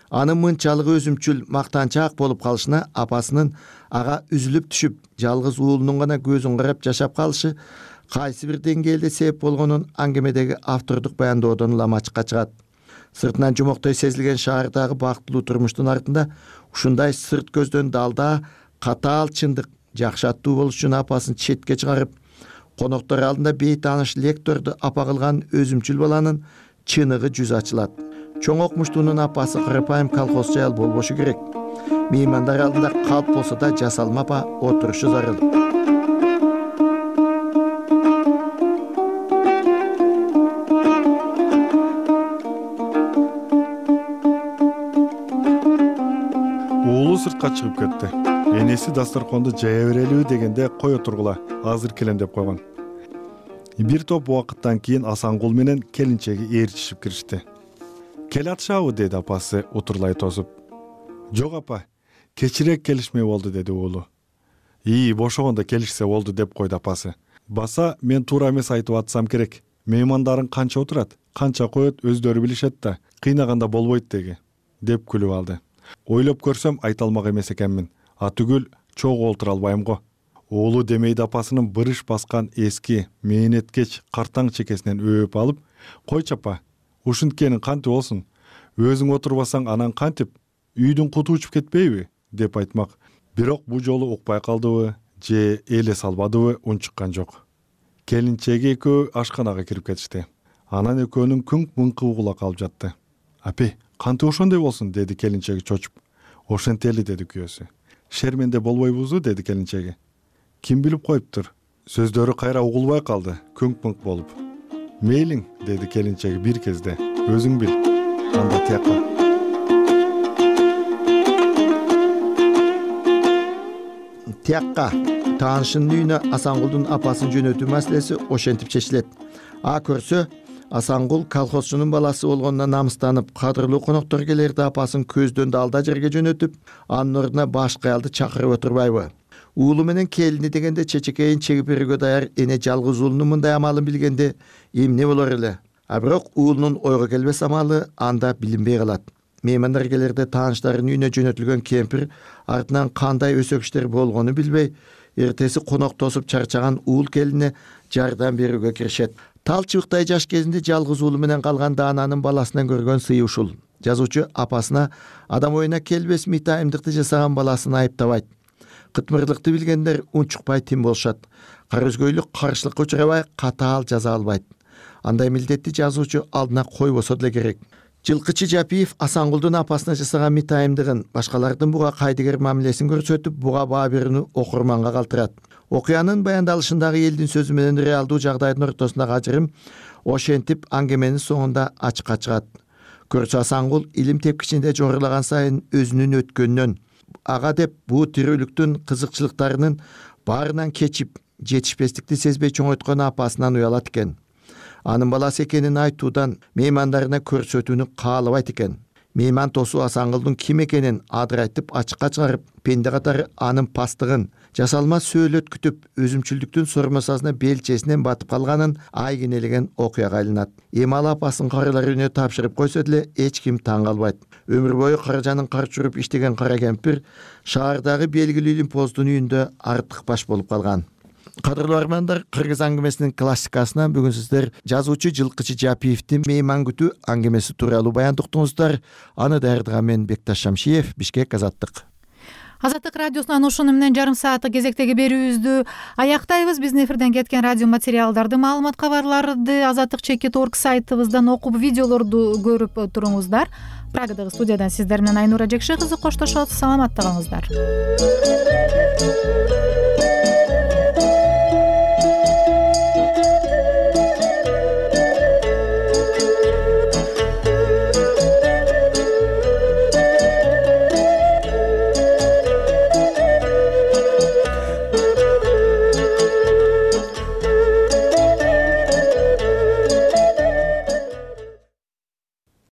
анын мынчалык өзүмчүл, мактанчаак болуп калышына апасынын ага үзүлүп түшүп, жалгыз уулунун гана көзүн карап жашап калышы кайсы бир деңгээлде себеп болгонун аңгемедеги автордук баяндоодон улам ачыкка чыгат. Сыртынан жумоктой сезилген шаардагы бактылуу турмуштун артында ушундай сырт көздөн далда катаал чындык, жакшы аттуу болуш үчүн апасын четке чыгарып, коноктор алдында бейтааныш лекторду апа кылган өзүмчүл баланын чыныгы жүзү ачылат. Чоң окмуштуунун апасы кырпайым колхозчу аял болбошу керек. Меймандар алдында калп болсо да жасалма апа отурушу зарыл. Уулу сыртка чыгып кетти. Энеси дасторконду жая берелиби дегенде кое тургула, азыр келем деп койгон. Бир топ убакыттан кийин Асангул менен келинчеги ээрчишип киришти. Келе атышабы деди апасы утурлай тосуп. Жок апа, кечирээк келишмей болду деди уулу. Ии, бошогондо келишсе болду деп койду апасы. Баса мен туура эмес айтып атсам керек. Меймандарың канча отурат, канча коет өздөрү билишет да, кыйнаганда болбойт деги, деп күлүп алды. Ойлоп көрсөм айта алмак эмес экенмин. Атүгүл чогуу олтура албайм го. Уулу демейди апасынын бырыш баскан эски, мээнеткеч картаң чекесинен өөп алып, койчу апа, ушинткени кантип болсун? Өзүң отурбасаң анан кантип? Үйдүн куту учуп кетпейби? Деп айтмак. Бирок бул жолу укпай калдыбы, же эле салбадыбы унчуккан жок. Келинчеги экөө ашканага кирип кетишти. Анан экөөнүн күңк-мыңкы угула калып жатты. Апе, кантип ошондой болсун? Деди келинчеги чочуп. Ошентели деди күйөөсү. Шерменде болбойбузу? Деди келинчеги. Ким билип коюптур? Сөздөрү кайра угулбай калды, күңк-мыңк болуп. Мейлиң, деди келинчеги бир кезде. Өзүң бил. Анда тияка. Тияка таанышынын үйүнө Асангулдун апасын жөнөтүү маселеси ошентип чечилет. А көрсө, Асангул колхозчунун баласы болгонуна намыстанып, кадырлуу коноктор келерде апасын көздөн далда жерге жөнөтүп, анын ордуна башка аялды чакырып отурбайбы? Уулу менен келини дегенде чечекейин чегип берүүгө даяр эне жалгыз уулунун мындай амалын билгенде эмне болор эле? А бирок уулунун ойго келбес амалы анда билинбей калат. Меймандар келерде тааныштарынын үйүнө жөнөтүлгөн кемпир артынан кандай өсөк иштер болгону билбей, эртеси конок тосуп чарчаган уул келине жардам берүүгө киришет. Тал чыбыктай жаш кезинде жалгыз уулу менен калган Даананын баласынан көргөн сыйы ушул. Жазуучу апасына адам оюна келбес митайымдыкты жасаган баласын айыптабайт. Кытмырлыкты билгендер унчукпай тим болушат. Кара өзгөйлүк каршылыкка учурабай катаал жаза албайт. Андай милдетти жазуучу алдына койбосо деле керек. Жылкычы Жапиев Асангулдун апасына жасаган митайымдыгын, башкалардын буга кайдыгер мамилесин көрсөтүп, буга баа берүүнү окурманга калтырат. Окуянын баяндалышындагы элдин сөзү менен реалдуу жагдайдын ортосундагы ажырым ошентип аңгеменин соңунда ачыкка чыгат. Көрсө Асангул илим тепкичинде жорулаган сайын өзүнүн өткөнүнөн, ага деп бул тирүүлүктүн кызыкчылыктарынын баарынан кечип, жетишпестикти сезбей чоңойткон апасынан уялат экен. Анын баласы экенин айтуудан меймандарына көрсөтүүнү каалабайт экен. мейман тосу Асангылдын ким экенин адырайтып ачыкка чыгарып, пенде катары анын пастыгын жасалма сөөлөт күтүп, өзүмчүлдүктүн сормосасына белчесинен батып калганын айгинелеген окуяга айланат. Эми ал апасын карылар үйүнө тапшырып койсо деле эч ким таң калбайт. Өмүр бою каражанын кар чуруп иштеген кара кемпир шаардагы белгилүү лимпоздун үйүндө артык баш болуп калган. Кадырлуу армандар, кыргыз аңгемесинин классикасынан бүгүн сиздер жазуучу Жылкычы Жапиевдин мейман күтүү аңгемеси тууралуу баяндыктыңыздар. Аны даярдаган мен Бекташ Шамшиев, Бишкек, Азаттык. Азаттык радиосунан ушуну менен жарым сааттык кезектеги берүүбүздү аяктайбыз. Биздин эфирден кеткен радио материалдарды, маалымат кабарларды азаттык чекит орг сайтыбыздан окуп, видеолорду көрүп туруңуздар. Прагадагы студиядан сиздер менен Айнура Жекше кызы коштошот. Саламатта калыңыздар.